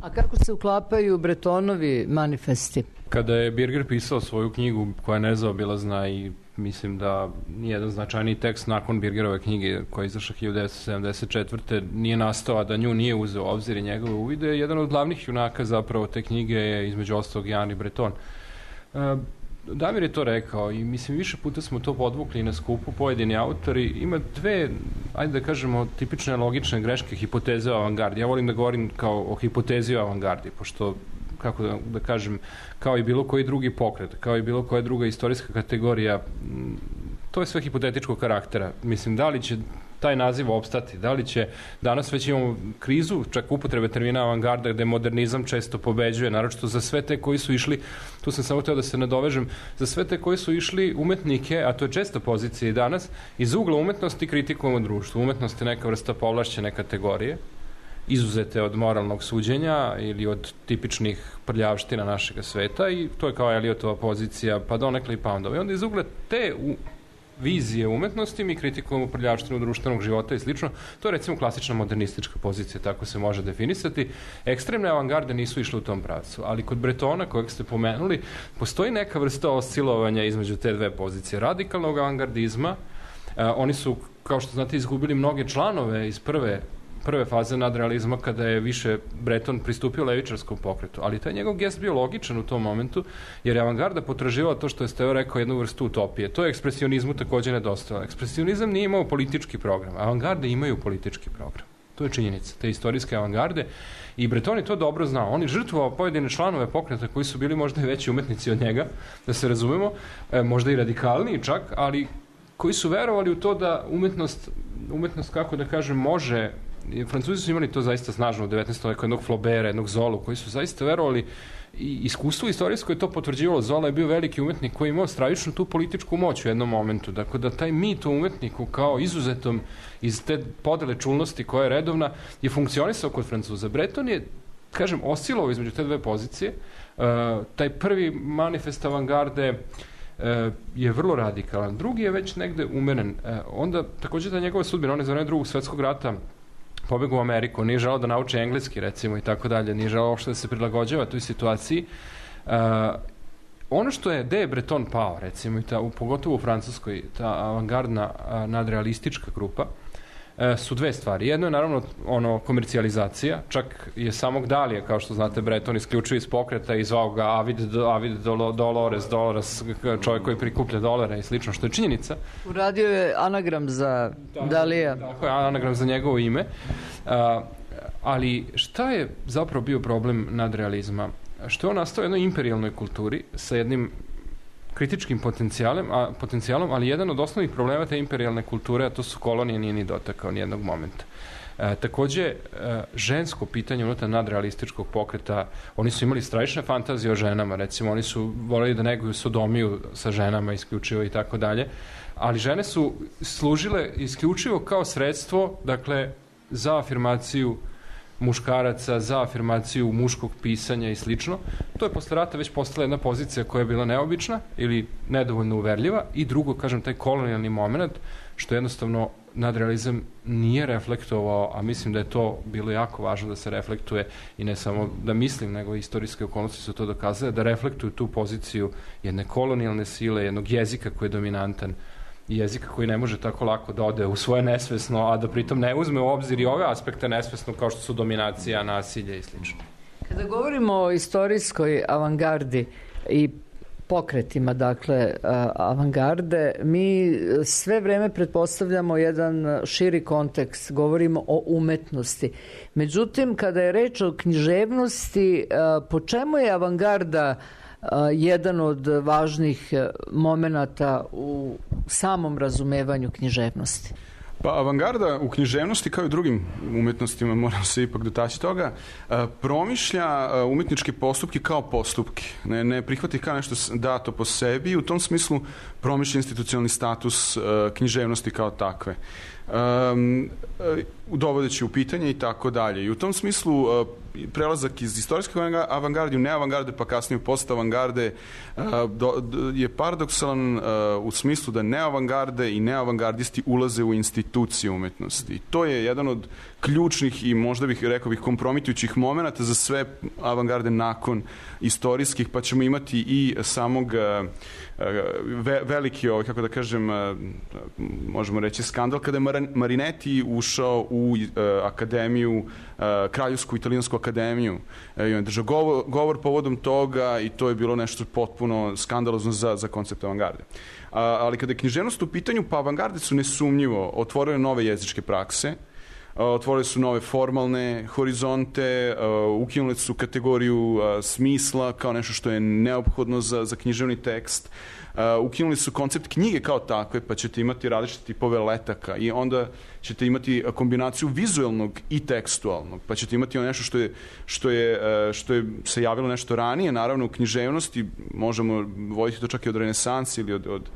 A kako se uklapaju Bretonovi manifesti? Kada je Birger pisao svoju knjigu koja je nezaobilazna i mislim da nijedan značajniji tekst nakon Birgerove knjige koja je izašla 1974. nije nastao, a da nju nije uzeo obzir i njegove uvide, jedan od glavnih junaka zapravo te knjige je između ostalog Jan i Breton. Damir je to rekao i mislim više puta smo to podvukli na skupu, pojedini autori. Ima dve, ajde da kažemo, tipične logične greške hipoteze o avangardi. Ja volim da govorim kao o hipotezi o avangardi, pošto, kako da kažem, kao i bilo koji drugi pokret, kao i bilo koja druga istorijska kategorija, to je sve hipotetičkog karaktera. Mislim, da li će taj naziv opstati, da li će, danas već imamo krizu, čak upotrebe termina avangarda, gde modernizam često pobeđuje, naročito za sve te koji su išli, tu sam samo hteo da se nadovežem, za sve te koji su išli umetnike, a to je česta pozicija i danas, iz ugla umetnosti kritikujemo društvo. Umetnost je neka vrsta povlašćene kategorije, izuzete od moralnog suđenja ili od tipičnih prljavština našeg sveta, i to je kao Eliotova pozicija, pa donekle i Poundova. I onda iz ugla te vizije umetnosti mi kritikujemo prljavštinu društvenog života i slično. To je recimo klasična modernistička pozicija, tako se može definisati. Ekstremne avangarde nisu išle u tom pravcu, ali kod Bretona, kojeg ste pomenuli, postoji neka vrsta oscilovanja između te dve pozicije. Radikalnog avangardizma, oni su, kao što znate, izgubili mnoge članove iz prve faze nadrealizma, kada je više Breton pristupio levičarskom pokretu, ali taj njegov gest bio logičan u tom momentu, jer je avangarda potraživala to što je Steo rekao, jednu vrstu utopije. To je ekspresionizmu takođe nedostajalo. Ekspresionizam nije imao politički program, avangarde imaju politički program. To je činjenica, te istorijske avangarde, i Breton je to dobro znao. On je žrtvovao pojedine članove pokreta koji su bili možda i veći umetnici od njega, da se razumemo, možda i radikalniji čak, ali koji su verovali u to da umetnost, kako da kažem, može. Francuzi su imali to zaista snažno u 19. veku, jednog Flaubera, jednog Zolu, koji su zaista verovali, i iskustvo istorijsko je to potvrđivalo. Zola je bio veliki umetnik koji je imao stravičnu tu političku moć u jednom momentu. Dakle, da taj mit o umetniku kao izuzetom iz te podele čulnosti koja je redovna je funkcionisao kod Francuza. Breton je, kažem, oscilovao između te dve pozicije. Taj prvi manifest avangarde je vrlo radikalan. Drugi je već negde umeren. Onda, takođe, ta njegova sudbina, on je za vreme Drugog svetskog rata pobegao u Ameriku, nije želao da nauči engleski, recimo, i tako dalje, nije želao uopšte da se prilagođava toj situaciji. Ono što je, gde je Breton pao, recimo, pogotovo u Francuskoj, ta avangardna nadrealistička grupa, su dve stvari. Jedno je naravno komercijalizacija, čak je samog Dalija, kao što znate, Breton isključio iz pokreta i zvao ga Avid Dolores, čovjek koji prikuplja dolare i slično, što je činjenica. Uradio je anagram za Dalija. Tako je, anagram za njegovo ime. Ali šta je zapravo bio problem nadrealizma? Što je on nastao u jednoj imperijalnoj kulturi sa jednim kritičkim potencijalom, ali jedan od osnovnih problema te imperijalne kulture, a to su kolonije, nije ni dotakao nijednog momenta. Takođe, žensko pitanje unutar nadrealističkog pokreta, oni su imali stravične fantazije o ženama, recimo, oni su voleli da neguju sodomiju sa ženama isključivo i tako dalje, ali žene su služile isključivo kao sredstvo, dakle, za afirmaciju muškaraca, za afirmaciju muškog pisanja i slično. To je posle rata već postala jedna pozicija koja je bila neobična ili nedovoljno uverljiva, i drugo, kažem, taj kolonijalni moment, što jednostavno nadrealizam nije reflektovao, a mislim da je to bilo jako važno da se reflektuje, i ne samo da mislim, nego istorijske okolnosti su to dokazale, da reflektuju tu poziciju jedne kolonijalne sile, jednog jezika koji je dominantan, jezika koji ne može tako lako da ode u svoje nesvesno, a da pritom ne uzme u obzir i ove aspekte nesvesno, kao što su dominacija, nasilje i slično. Kada govorimo o istorijskoj avangardi i pokretima, dakle, avangarde, mi sve vreme pretpostavljamo jedan širi kontekst, govorimo o umetnosti. Međutim, kada je reč o književnosti, po čemu je avangarda jedan od važnih momenata u samom razumevanju književnosti? Pa avangarda u književnosti, kao i drugim umetnostima, moram se ipak dotaći toga, promišlja umetničke postupke kao postupke. Ne prihvati kao nešto dato po sebi, i u tom smislu promišlja institucionalni status književnosti kao takve. dovodeći u pitanje i tako dalje. I u tom smislu prelazak iz istorijske avangarde u neavangarde, pa kasnije u postavangarde je paradoksalan u smislu da neavangarde i neavangardisti ulaze u institucije umetnosti. I to je jedan od ključnih i možda bih rekao kompromitujućih momenata za sve avangarde nakon istorijskih, pa ćemo imati i samog veliki, kako da kažem, možemo reći skandal, kada je Marinetti ušao u akademiju, Kraljevsku italijansku akademiju. I on je držao govor povodom toga i to je bilo nešto potpuno skandalozno za koncept avangarde. Ali kada je književnost u pitanju, pa avangarde su nesumnjivo otvorile nove jezičke prakse, otvorile su nove formalne horizonte, ukinule su kategoriju smisla kao nešto što je neophodno za književni tekst, ukinuli su koncept knjige kao takve, pa ćete imati različite tipove letaka i onda ćete imati kombinaciju vizuelnog i tekstualnog, pa ćete imati nešto što je se javilo nešto ranije, naravno u književnosti, možemo voditi to čak i od renesanse ili od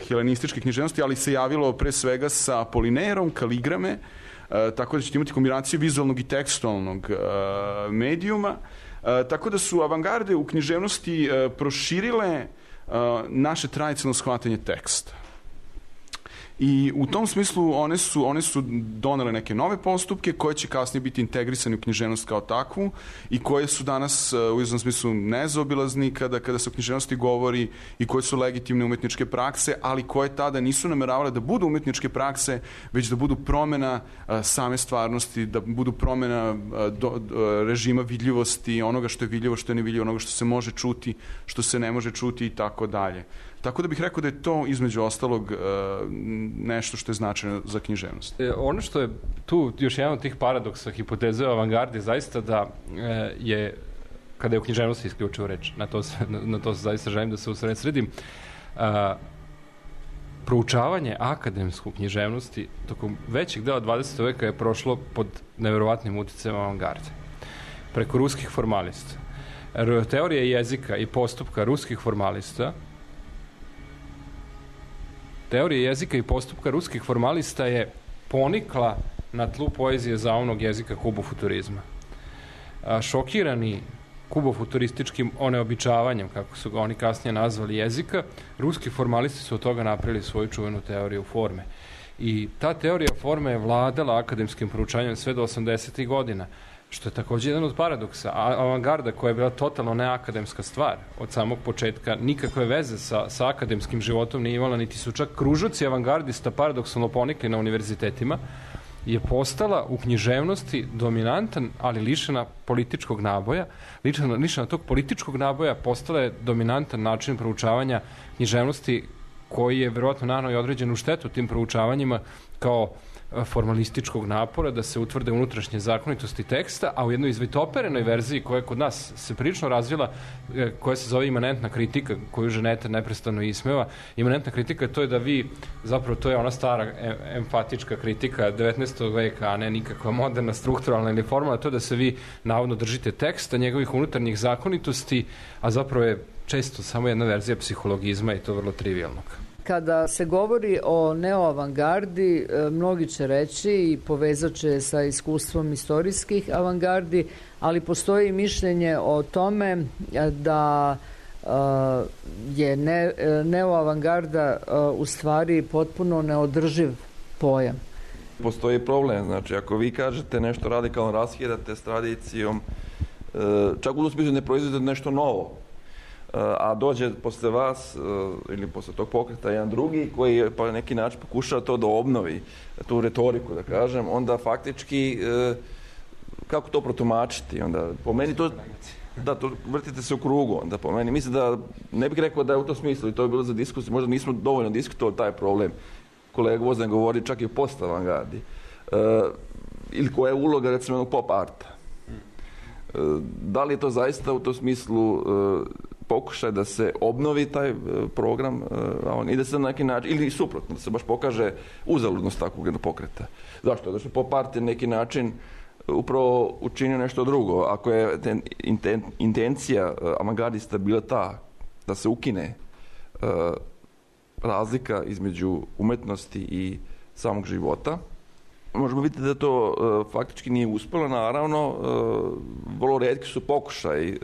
helenističke književnosti, ali se javilo pre svega sa Apolinerom, Kaligrame, tako da ćete imati kombinaciju vizualnog i tekstualnog medijuma, tako da su avangarde u književnosti proširile naše tradicionalno shvatanje teksta. I u tom smislu one su donele neke nove postupke koje će kasnije biti integrisani u književnost kao takvu i koje su danas u izvom smislu nezaobilazni kada se o književnosti govori i koje su legitimne umetničke prakse, ali koje tada nisu nameravale da budu umetničke prakse, već da budu promena same stvarnosti, da budu promena režima vidljivosti, onoga što je vidljivo, što je nevidljivo, onoga što se može čuti, što se ne može čuti i tako dalje. Tako da bih rekao da je to između ostalog nešto što je značajno za književnost. Ono što je tu još jedan od tih paradoksa hipoteze o avangardi zaista da je, kada je u književnosti isključivo reč, na to zaista želim da se usredsredim, proučavanje akademsku književnosti tokom većeg dela 20. veka je prošlo pod neverovatnim uticajem avangarde. Preko ruskih formalista. Teorija jezika i postupka ruskih formalista je ponikla na tlu poezije zaovnog jezika kubofuturizma. Šokirani kubofuturističkim oneobičavanjem, kako su ga oni kasnije nazvali, jezika, ruski formalisti su od toga napravili svoju čuvenu teoriju forme. I ta teorija forme je vladala akademskim proučavanjem sve do 80. godina, što je također jedan od paradoksa. Avangarda, koja je bila totalno neakademska stvar od samog početka, nikakve veze sa akademskim životom nije imala, niti su čak kružoci avangardista paradoksalno ponikli na univerzitetima, je postala u književnosti dominantan, ali lišena političkog naboja. Lišena tog političkog naboja postala je dominantan način proučavanja književnosti, koji je verovatno naneo i određenu štetu tim proučavanjima kao formalističkog napora da se utvrde unutrašnje zakonitosti teksta, a u jednoj izvitoperenoj verziji koja je kod nas se prilično razvila, koja se zove imanentna kritika, koju Ženeta neprestano ismeva. Imanentna kritika to je da vi, zapravo to je ona stara emfatička kritika 19. veka, a ne nikakva moderna, strukturalna ili formalna, to je da se vi navodno držite teksta, njegovih unutarnjih zakonitosti, a zapravo je često samo jedna verzija psihologizma i to vrlo trivialnog. Kada se govori o neoavangardi, mnogi će reći i povezat će sa iskustvom istorijskih avangardi, ali postoji mišljenje o tome da je neoavangarda u stvari potpuno neodrživ pojam. Postoji problem, znači ako vi kažete nešto radikalno raskidate s tradicijom, čak u smislu ne proizvodite nešto novo, a dođe posle vas ili posle tog pokreta jedan drugi koji pa na neki način pokušava to da obnovi, tu retoriku da kažem, onda faktički kako to protumačiti? Onda po meni to vrtite se u krugu, onda po meni. Mislim da ne bih rekao da je u tom smislu i to je bilo za diskusiju, možda nismo dovoljno diskutovali taj problem. Kolega Gvozden govori čak i o post-avangardi. Ili koja je uloga recimo pop arta. Da li je to zaista u tom smislu pokušaj da se obnovi taj program i da se na neki način, ili suprotno, da se baš pokaže uzaludnost takvog jednog pokreta. Zašto? Zato što pop art je na neki način upravo učinio nešto drugo. Ako je intencija avangardista bila ta da se ukine razlika između umetnosti i samog života. Možemo vidjeti da to faktički nije uspjelo, naravno, vrlo retki su pokušaj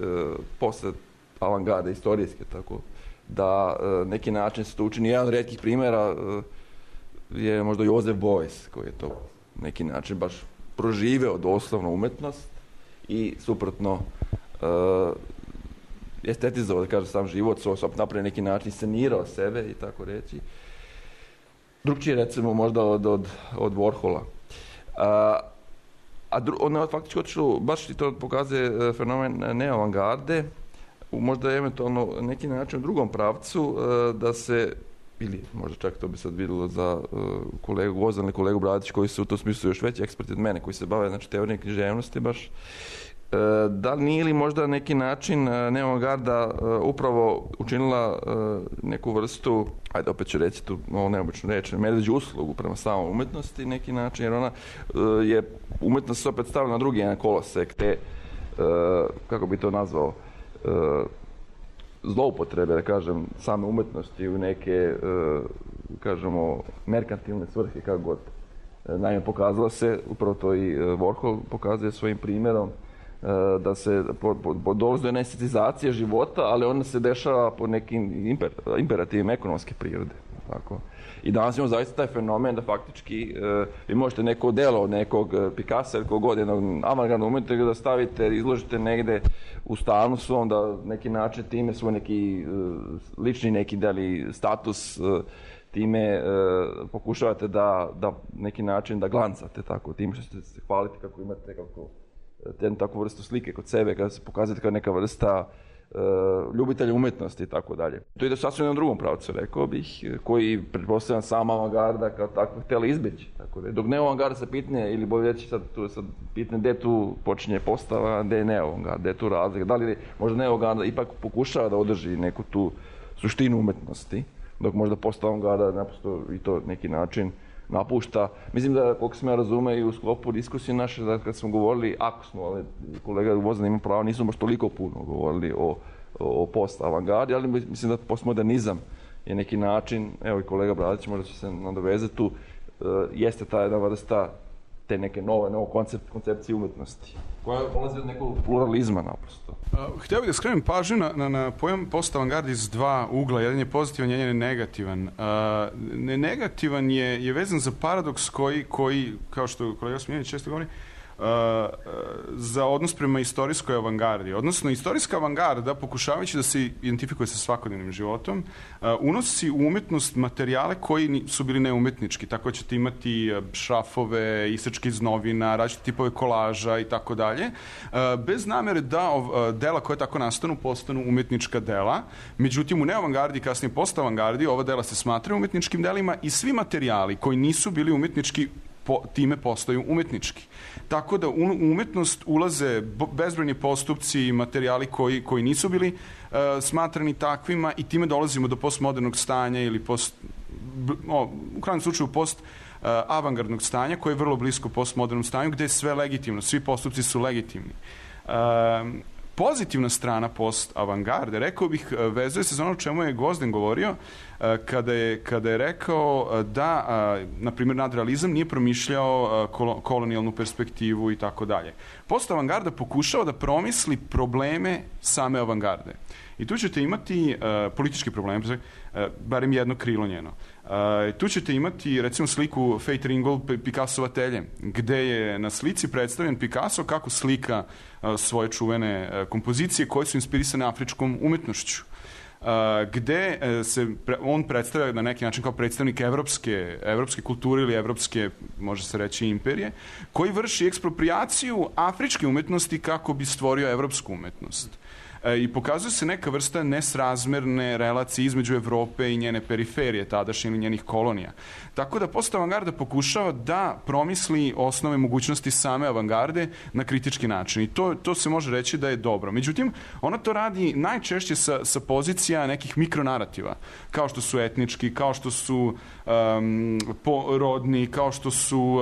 posle avangarde istorijske, tako da neki način se to učini. Jedan od retkih primjera je možda Joseph Beuys, koji je to neki način baš proživeo doslovno umetnost i suprotno estetizovao, da kažem, sam život, napravio neki način, scenirao sebe i tako reći. Drugčije recimo možda od Warhola. Ono je faktički otišlo, baš i to pokazuje fenomen neoavangarde, možda eventualno neki način u drugom pravcu, da se, ili možda čak to bi sad vidjelo za kolegu Gvozdan ili kolegu Bradić, koji su u tom smislu još veći eksperti od mene, koji se bave, znači, teorijom književnosti baš, da li nije li možda neki način neoavangarda upravo učinila neku vrstu, ajde opet ću reći tu ovo neobično reći, medveđu uslugu prema samoj umetnosti neki način, jer ona je umetnost se opet stavila na drugi jedan kolosek te, kako bi to nazvao, zloupotrebe, da kažem, same umetnosti u neke, kažemo, merkantilne svrhe, kako god. Naime, pokazalo se, upravo to i Warhol pokazuje svojim primjerom, da se dolazi do estetizacije života, ali ona se dešava po nekim imperativima ekonomske prirode. Tako. I danas imamo zaista taj fenomen da faktički vi možete neko delo od nekog Picassa ili kogod, jednog avangardnog umetnika da stavite, izložite negde u stanu svom, da neki način time svoj neki lični neki deli status time pokušavate da neki način da glancate tako, tim što ćete se hvaliti kako imate takvu vrstu slike kod sebe, kada se pokazate kao neka vrsta ljubitelja umetnosti i tako dalje. To ide sasvim na drugom pravcu, rekao bih, koji pretpostavljam sama avangarda kao takva htjela izbjeći. Tako da, dok neoavangarda se pitne, ili bolje reći sad pitne gdje tu počinje postava, gdje je neoavangarda, gdje je tu razlika. Da li možda neoavangarda ipak pokušava da održi neku tu suštinu umetnosti, dok možda post-avangarda naprosto i to neki način napušta. Mislim da, koliko sam ja razume i u sklopu diskusije naše, da kad smo govorili, ako smo, ali kolega Gvozdan ima pravo, nismo baš toliko puno govorili o post-avangardi, ali mislim da postmodernizam je neki način, evo i kolega Bradić možda će se nadovezati tu, jeste ta jedna vrsta te neke nove koncepcije umetnosti, koja polazi od nekog pluralizma naprosto. Htio bih da skrenem pažnju na pojam post-avangardi iz dva ugla. Jedan je pozitivan, jedan je negativan. Negativan je vezan za paradoks koji, kao što kolega Smiljanić često govori, za odnos prema istorijskoj avangardi. Odnosno, istorijska avangarda, pokušavajući da se identifikuje sa svakodnevnim životom, unosi u umetnost materijale koji su bili neumetnički. Tako ćete imati šrafove, isečke iz novina, različite tipove kolaža i tako dalje, bez namere da dela koje tako nastanu postanu umetnička dela. Međutim, u neoavangardi, kasnije post-avangardi, ova dela se smatraju umetničkim delima i svi materijali koji nisu bili umetnički time postaju umetnički. Tako da u umetnost ulaze bezbrojni postupci i materijali koji nisu bili smatrani takvima i time dolazimo do postmodernog stanja ili u krajnjem slučaju post-avangardnog stanja koje je vrlo blisko postmodernom stanju gde je sve legitimno, svi postupci su legitimni. Pozitivna strana post-avangarde, rekao bih, vezuje se za ono o čemu je Gvozdan govorio kada je rekao da, na primjer, nadrealizam nije promišljao kolonijalnu perspektivu i tako dalje. Post-avangarda pokušava da promisli probleme same avangarde. I tu ćete imati politički problem, barem jedno krilo njeno. Tu ćete imati, recimo, sliku Fate Ringgold Picassova Telje, gde je na slici predstavljen Picasso kako slika svoje čuvene kompozicije koje su inspirisane afričkom umetnošću, gde se on predstavlja na neki način kao predstavnik evropske kulture ili evropske, može se reći, imperije, koji vrši eksproprijaciju afričke umetnosti kako bi stvorio evropsku umetnost. I pokazuje se neka vrsta nesrazmerne relacije između Evrope i njene periferije, tadašnje ili njenih kolonija. Tako da post-avangarda pokušava da promisli osnove mogućnosti same avangarde na kritički način. I to se može reći da je dobro. Međutim, ona to radi najčešće sa pozicija nekih mikronarativa, kao što su etnički, kao što su rodni, kao što su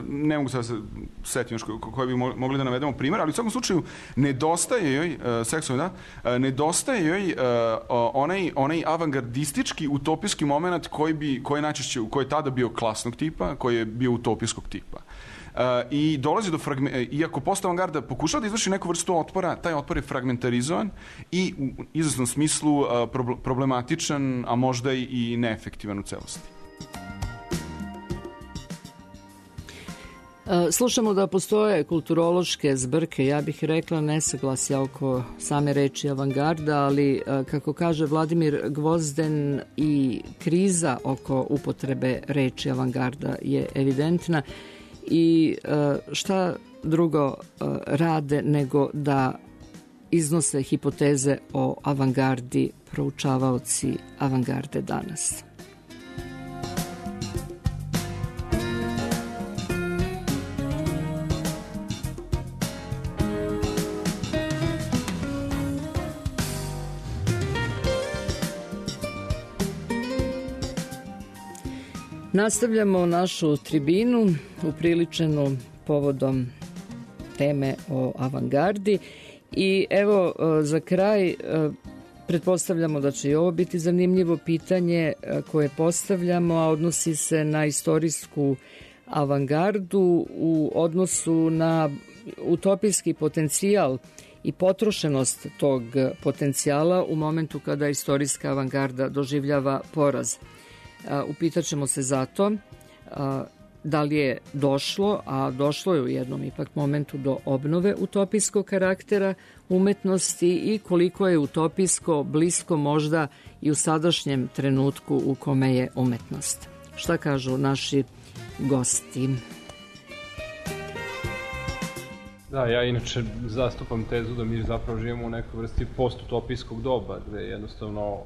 ne mogu sad se setiti još koje bi mogli da navedemo primjer, ali u svakom slučaju nedostaje joj nedostaje joj onaj avangardistički utopijski moment koji je tada bio klasnog tipa, koji je bio utopijskog tipa. I dolazi do iako post-avangarda pokušava da izvrši neku vrstu otpora, taj otpor je fragmentarizovan i u izvesnom smislu problematičan, a možda i neefektivan u celosti. Slušamo da postoje kulturološke zbrke, ja bih rekla nesaglasja oko same reči avangarda, ali kako kaže Vladimir Gvozden i kriza oko upotrebe reči avangarda je evidentna i šta drugo rade nego da iznose hipoteze o avangardi proučavaoci avangarde danas. Nastavljamo našu tribinu upriličenu povodom teme o avangardi i evo za kraj pretpostavljamo da će i ovo biti zanimljivo pitanje koje postavljamo, a odnosi se na istorijsku avangardu u odnosu na utopijski potencijal i potrošenost tog potencijala u momentu kada istorijska avangarda doživljava poraz. Upitaćemo se zato da li je došlo, a došlo je u jednom ipak momentu do obnove utopijskog karaktera umetnosti i koliko je utopijsko blisko možda i u sadašnjem trenutku u kome je umetnost. Šta kažu naši gosti? Da, ja inače zastupam tezu da mi zapravo živimo u nekoj vrsti postutopijskog doba, gde jednostavno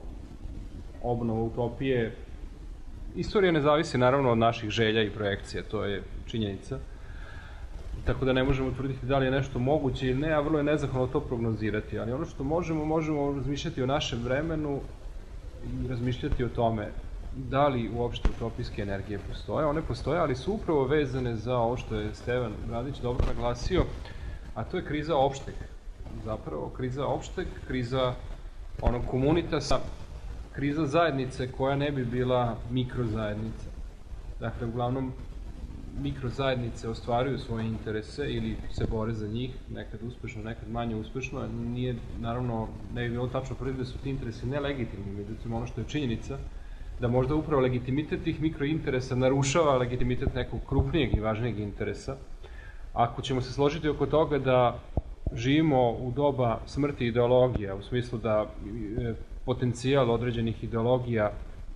obnova utopije. Istorija ne zavisi naravno od naših želja i projekcija, to je činjenica. Tako da ne možemo tvrditi da li je nešto moguće ili ne, a vrlo je nezahvalno to prognozirati. Ali ono što možemo razmišljati o našem vremenu i razmišljati o tome da li uopšte utopijske energije postoje. One postoje, ali su upravo vezane za ovo što je Stevan Radić dobro naglasio, a to je kriza opšteg. Zapravo, kriza opšteg, kriza onog komunitasa, kriza zajednice koja ne bi bila mikrozajednica. Dakle, uglavnom, mikrozajednice ostvaruju svoje interese ili se bore za njih, nekad uspešno, nekad manje uspešno. Nije, naravno, ne bi bilo tačno tvrditi da su ti interesi nelegitimni, međutim, ono što je činjenica, da možda upravo legitimitet tih mikrointeresa narušava legitimitet nekog krupnijeg i važnijeg interesa. Ako ćemo se složiti oko toga da živimo u doba smrti ideologija, u smislu da potencijal određenih ideologija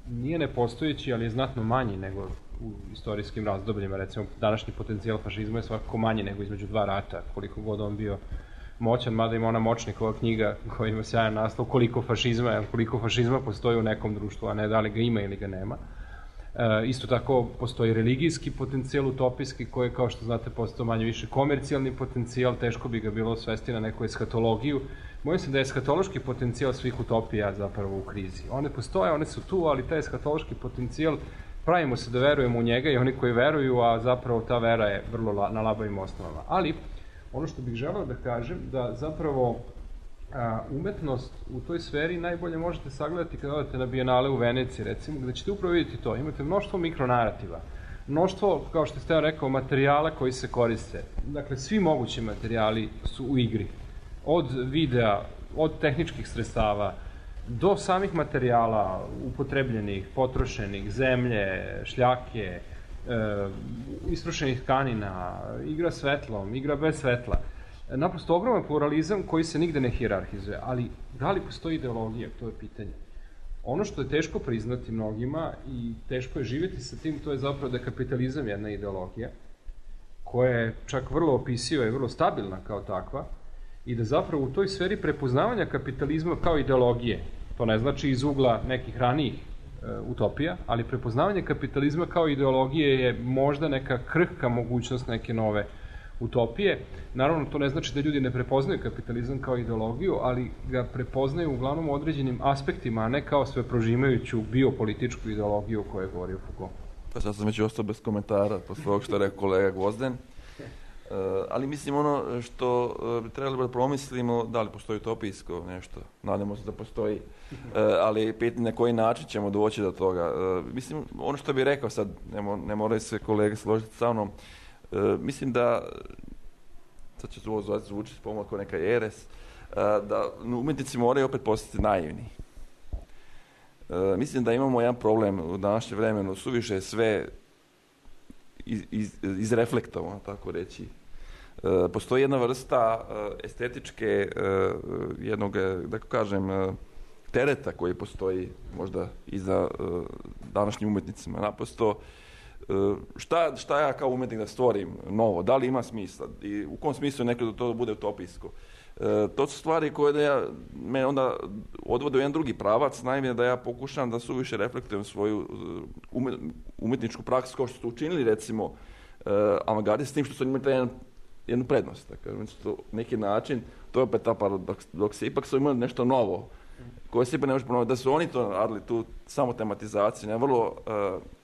nije nepostojeći, ali je znatno manji nego u istorijskim razdobljima. Recimo, današnji potencijal fašizma je svakako manji nego između dva rata, koliko god on bio moćan, mada ima ona Močnikova knjiga koja ima sjajan naslov koliko fašizma postoji u nekom društvu, a ne da li ga ima ili ga nema. Isto tako postoji religijski potencijal utopijski koji je, kao što znate, postao manje više komercijalni potencijal, teško bi ga bilo svesti na neku eshatologiju. Bojim se da je eshatološki potencijal svih utopija zapravo u krizi. One postoje, one su tu, ali taj eshatološki potencijal, pravimo se da verujemo u njega i oni koji veruju, a zapravo ta vera je vrlo na labavim osnovama. Ali, ono što bih želeo da kažem, da zapravo umetnost u toj sferi najbolje možete sagledati kada odete na Bijenale u Veneciji, recimo, gde ćete upravo vidjeti to. Imate mnoštvo mikronarativa, mnoštvo, kao što ste rekao, materijala koji se koriste. Dakle, svi mogući materijali su u igri. Od videa, od tehničkih sredstava, do samih materijala upotrebljenih, potrošenih, zemlje, šljake, istrošenih tkanina, igra svetlom, igra bez svetla. Naprosto ogroman pluralizam koji se nigde ne hijerarhizuje, ali da li postoji ideologija, to je pitanje. Ono što je teško priznati mnogima i teško je živjeti sa tim, to je zapravo da je kapitalizam jedna ideologija, koja je čak vrlo opisiva i vrlo stabilna kao takva, i da zapravo u toj sferi prepoznavanja kapitalizma kao ideologije, to ne znači iz ugla nekih ranijih utopija, ali prepoznavanje kapitalizma kao ideologije je možda neka krhka mogućnost neke nove utopije. Naravno, to ne znači da ljudi ne prepoznaju kapitalizam kao ideologiju, ali ga prepoznaju uglavnom u određenim aspektima, a ne kao sve prožimajuću biopolitičku ideologiju o kojoj je govorio Foucault. Pa sad sam već ostao bez komentara posle ovog što je rekao kolega Gvozden. Ali mislim ono što bi trebali da promislimo, da li postoji utopijsko nešto, nadamo se da postoji, ali pitanje na koji način ćemo doći do toga. Mislim, ono što bih rekao sad, ne moraju se kolege složiti sa mnom, mislim da, sad će ovo zvučiti pomalo kao neka jeres, da umjetnici moraju opet postati naivni. Mislim da imamo jedan problem u današnjem vremenu, suviše je sve izreflektovano, tako reći. Postoji jedna vrsta estetičke, jednog, da kažem, tereta koji postoji možda i za današnjim umjetnicima. Naprosto, šta ja kao umjetnik da stvorim novo? Da li ima smisla? I u kom smislu nekada to bude utopijsko? To su stvari koje me onda odvode u jedan drugi pravac, naime da ja pokušam da suviše reflektujem svoju umjetničku praksu kao što su učinili recimo avangardi s tim što su imali jednu prednost. Dakle, neki način, to je opet ta paradoks, ipak su imali nešto novo koje se ipak ne može ponoviti, da su oni to radili, tu samo tematizaciju, na vrlo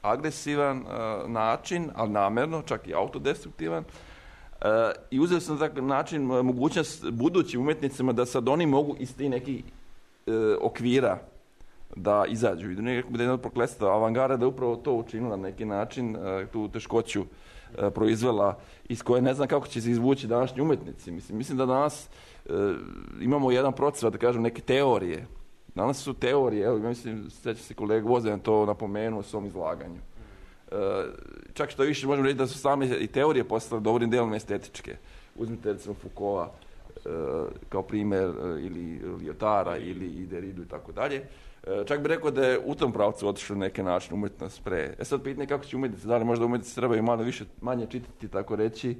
agresivan način, ali namjerno, čak i autodestruktivan. I uzeli sam na takav način mogućnost budućim umjetnicima da sad oni mogu iz tih nekih okvira da izađu. I da nekako bude jedno prokletstvo avangarda da upravo to učinila na neki način, tu teškoću proizvela iz koje ne znam kako će se izvući današnji umjetnici. Mislim da danas imamo jedan proces, da kažem, neke teorije. Danas su teorije, evo, mislim, sjeća se kolega Gvozden to napomenuo u svom izlaganju. Čak što više možemo reći da su same i teorije postale dobrim dijelom estetičke. Uzmite recimo Foucaulta kao primjer ili Lyotara ili Derridu i tako dalje. Čak bih rekao da je u tom pravcu otišlo na neki način umjetnost pre. Sad pitanje kako će umjetnici, da li možda umjetnici trebaju malo manje čitati, tako reći,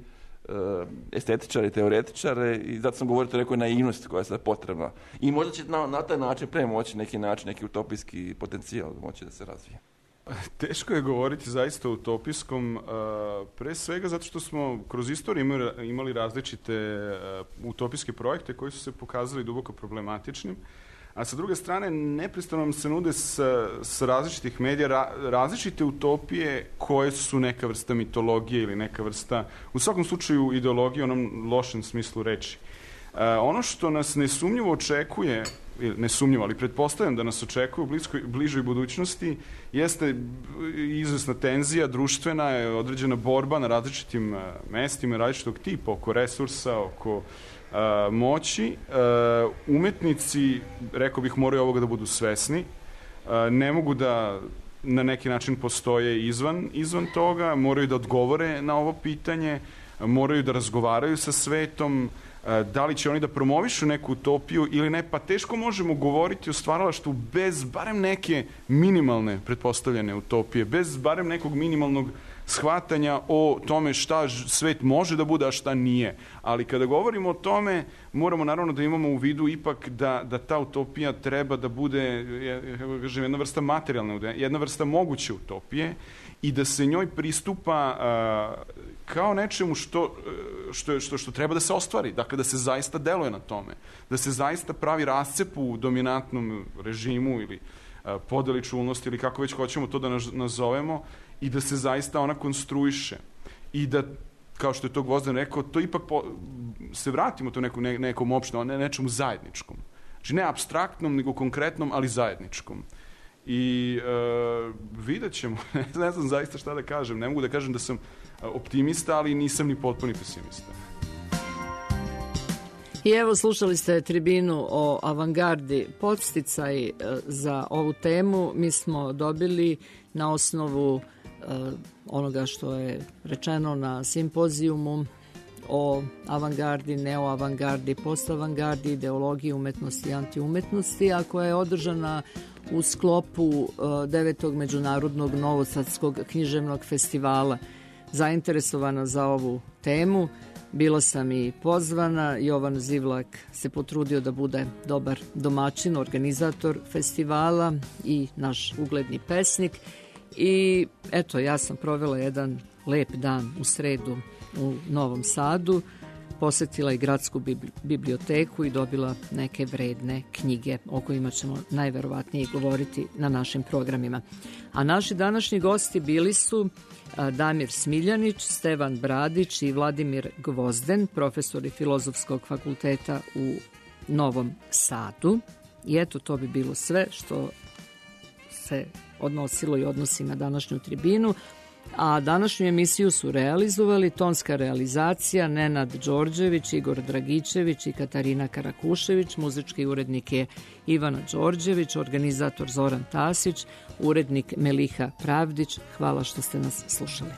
estetičari, teoretičare, i zato sam govorio o nekoj naivnosti koja je sad potrebna. I možda će na taj način premoći neki utopijski potencijal moći da se razvije. Teško je govoriti zaista o utopijskom, pre svega zato što smo kroz istoriju imali različite utopijske projekte koji su se pokazali duboko problematičnim, a sa druge strane neprestano nam se nude s različitih medija različite utopije koje su neka vrsta mitologije ili neka vrsta, u svakom slučaju, ideologije u onom lošem smislu reči. Ono što nas nesumnjivo očekuje, nesumnjivo, ali pretpostavljam da nas očekuje u bližoj budućnosti, jeste izvesna tenzija, društvena, određena borba na različitim mestima, različitog tipa, oko resursa, oko moći. Umetnici, rekao bih, moraju ovoga da budu svesni. Ne mogu da na neki način postoje izvan toga, moraju da odgovore na ovo pitanje, moraju da razgovaraju sa svetom. Da li će oni da promovišu neku utopiju ili ne, pa teško možemo govoriti o stvaralaštvu bez barem neke minimalne pretpostavljene utopije, bez barem nekog minimalnog shvatanja o tome šta svet može da bude, a šta nije. Ali kada govorimo o tome, moramo naravno da imamo u vidu ipak da ta utopija treba da bude jedna vrsta materijalne, jedna vrsta moguće utopije i da se njoj pristupa kao nečemu što treba da se ostvari, dakle da se zaista deluje na tome, da se zaista pravi rascep u dominantnom režimu ili podeli čulnosti ili kako već hoćemo to da nazovemo i da se zaista ona konstruiše i da, kao što je to Gvozden rekao, to ipak se vratimo to nekom opštom, nečemu zajedničkom. Znači ne apstraktnom, nego konkretnom, ali zajedničkom. I vidjet ćemo, ne znam zaista šta da kažem, ne mogu da kažem da sam optimista, ali nisam ni potpuni pesimista. I evo, slušali ste tribinu o avangardi. Podsticaj za ovu temu mi smo dobili na osnovu onoga što je rečeno na simpozijumu o avangardi, neoavangardi, postavangardi, ideologiji umetnosti i antiumetnosti, a koja je održana u sklopu 9. Međunarodnog novosadskog književnog festivala. Zainteresovana za ovu temu bila sam i pozvana. Jovan Zivlak se potrudio da bude dobar domaćin, organizator festivala i naš ugledni pesnik. I eto, ja sam provela jedan lep dan u sredu u Novom Sadu. posetila i gradsku biblioteku i dobila neke vredne knjige o kojima ćemo najverovatnije govoriti na našim programima. A naši današnji gosti bili su Damir Smiljanić, Stevan Bradić i Vladimir Gvozden, profesori Filozofskog fakulteta u Novom Sadu. I eto, to bi bilo sve što se odnosilo i odnosi na današnju tribinu. A današnju emisiju su realizovali tonska realizacija Nenad Đorđević, Igor Dragićević i Katarina Karakušević, muzički urednik je Ivana Đorđević, organizator Zoran Tasić, urednik Meliha Pravdić. Hvala što ste nas slušali.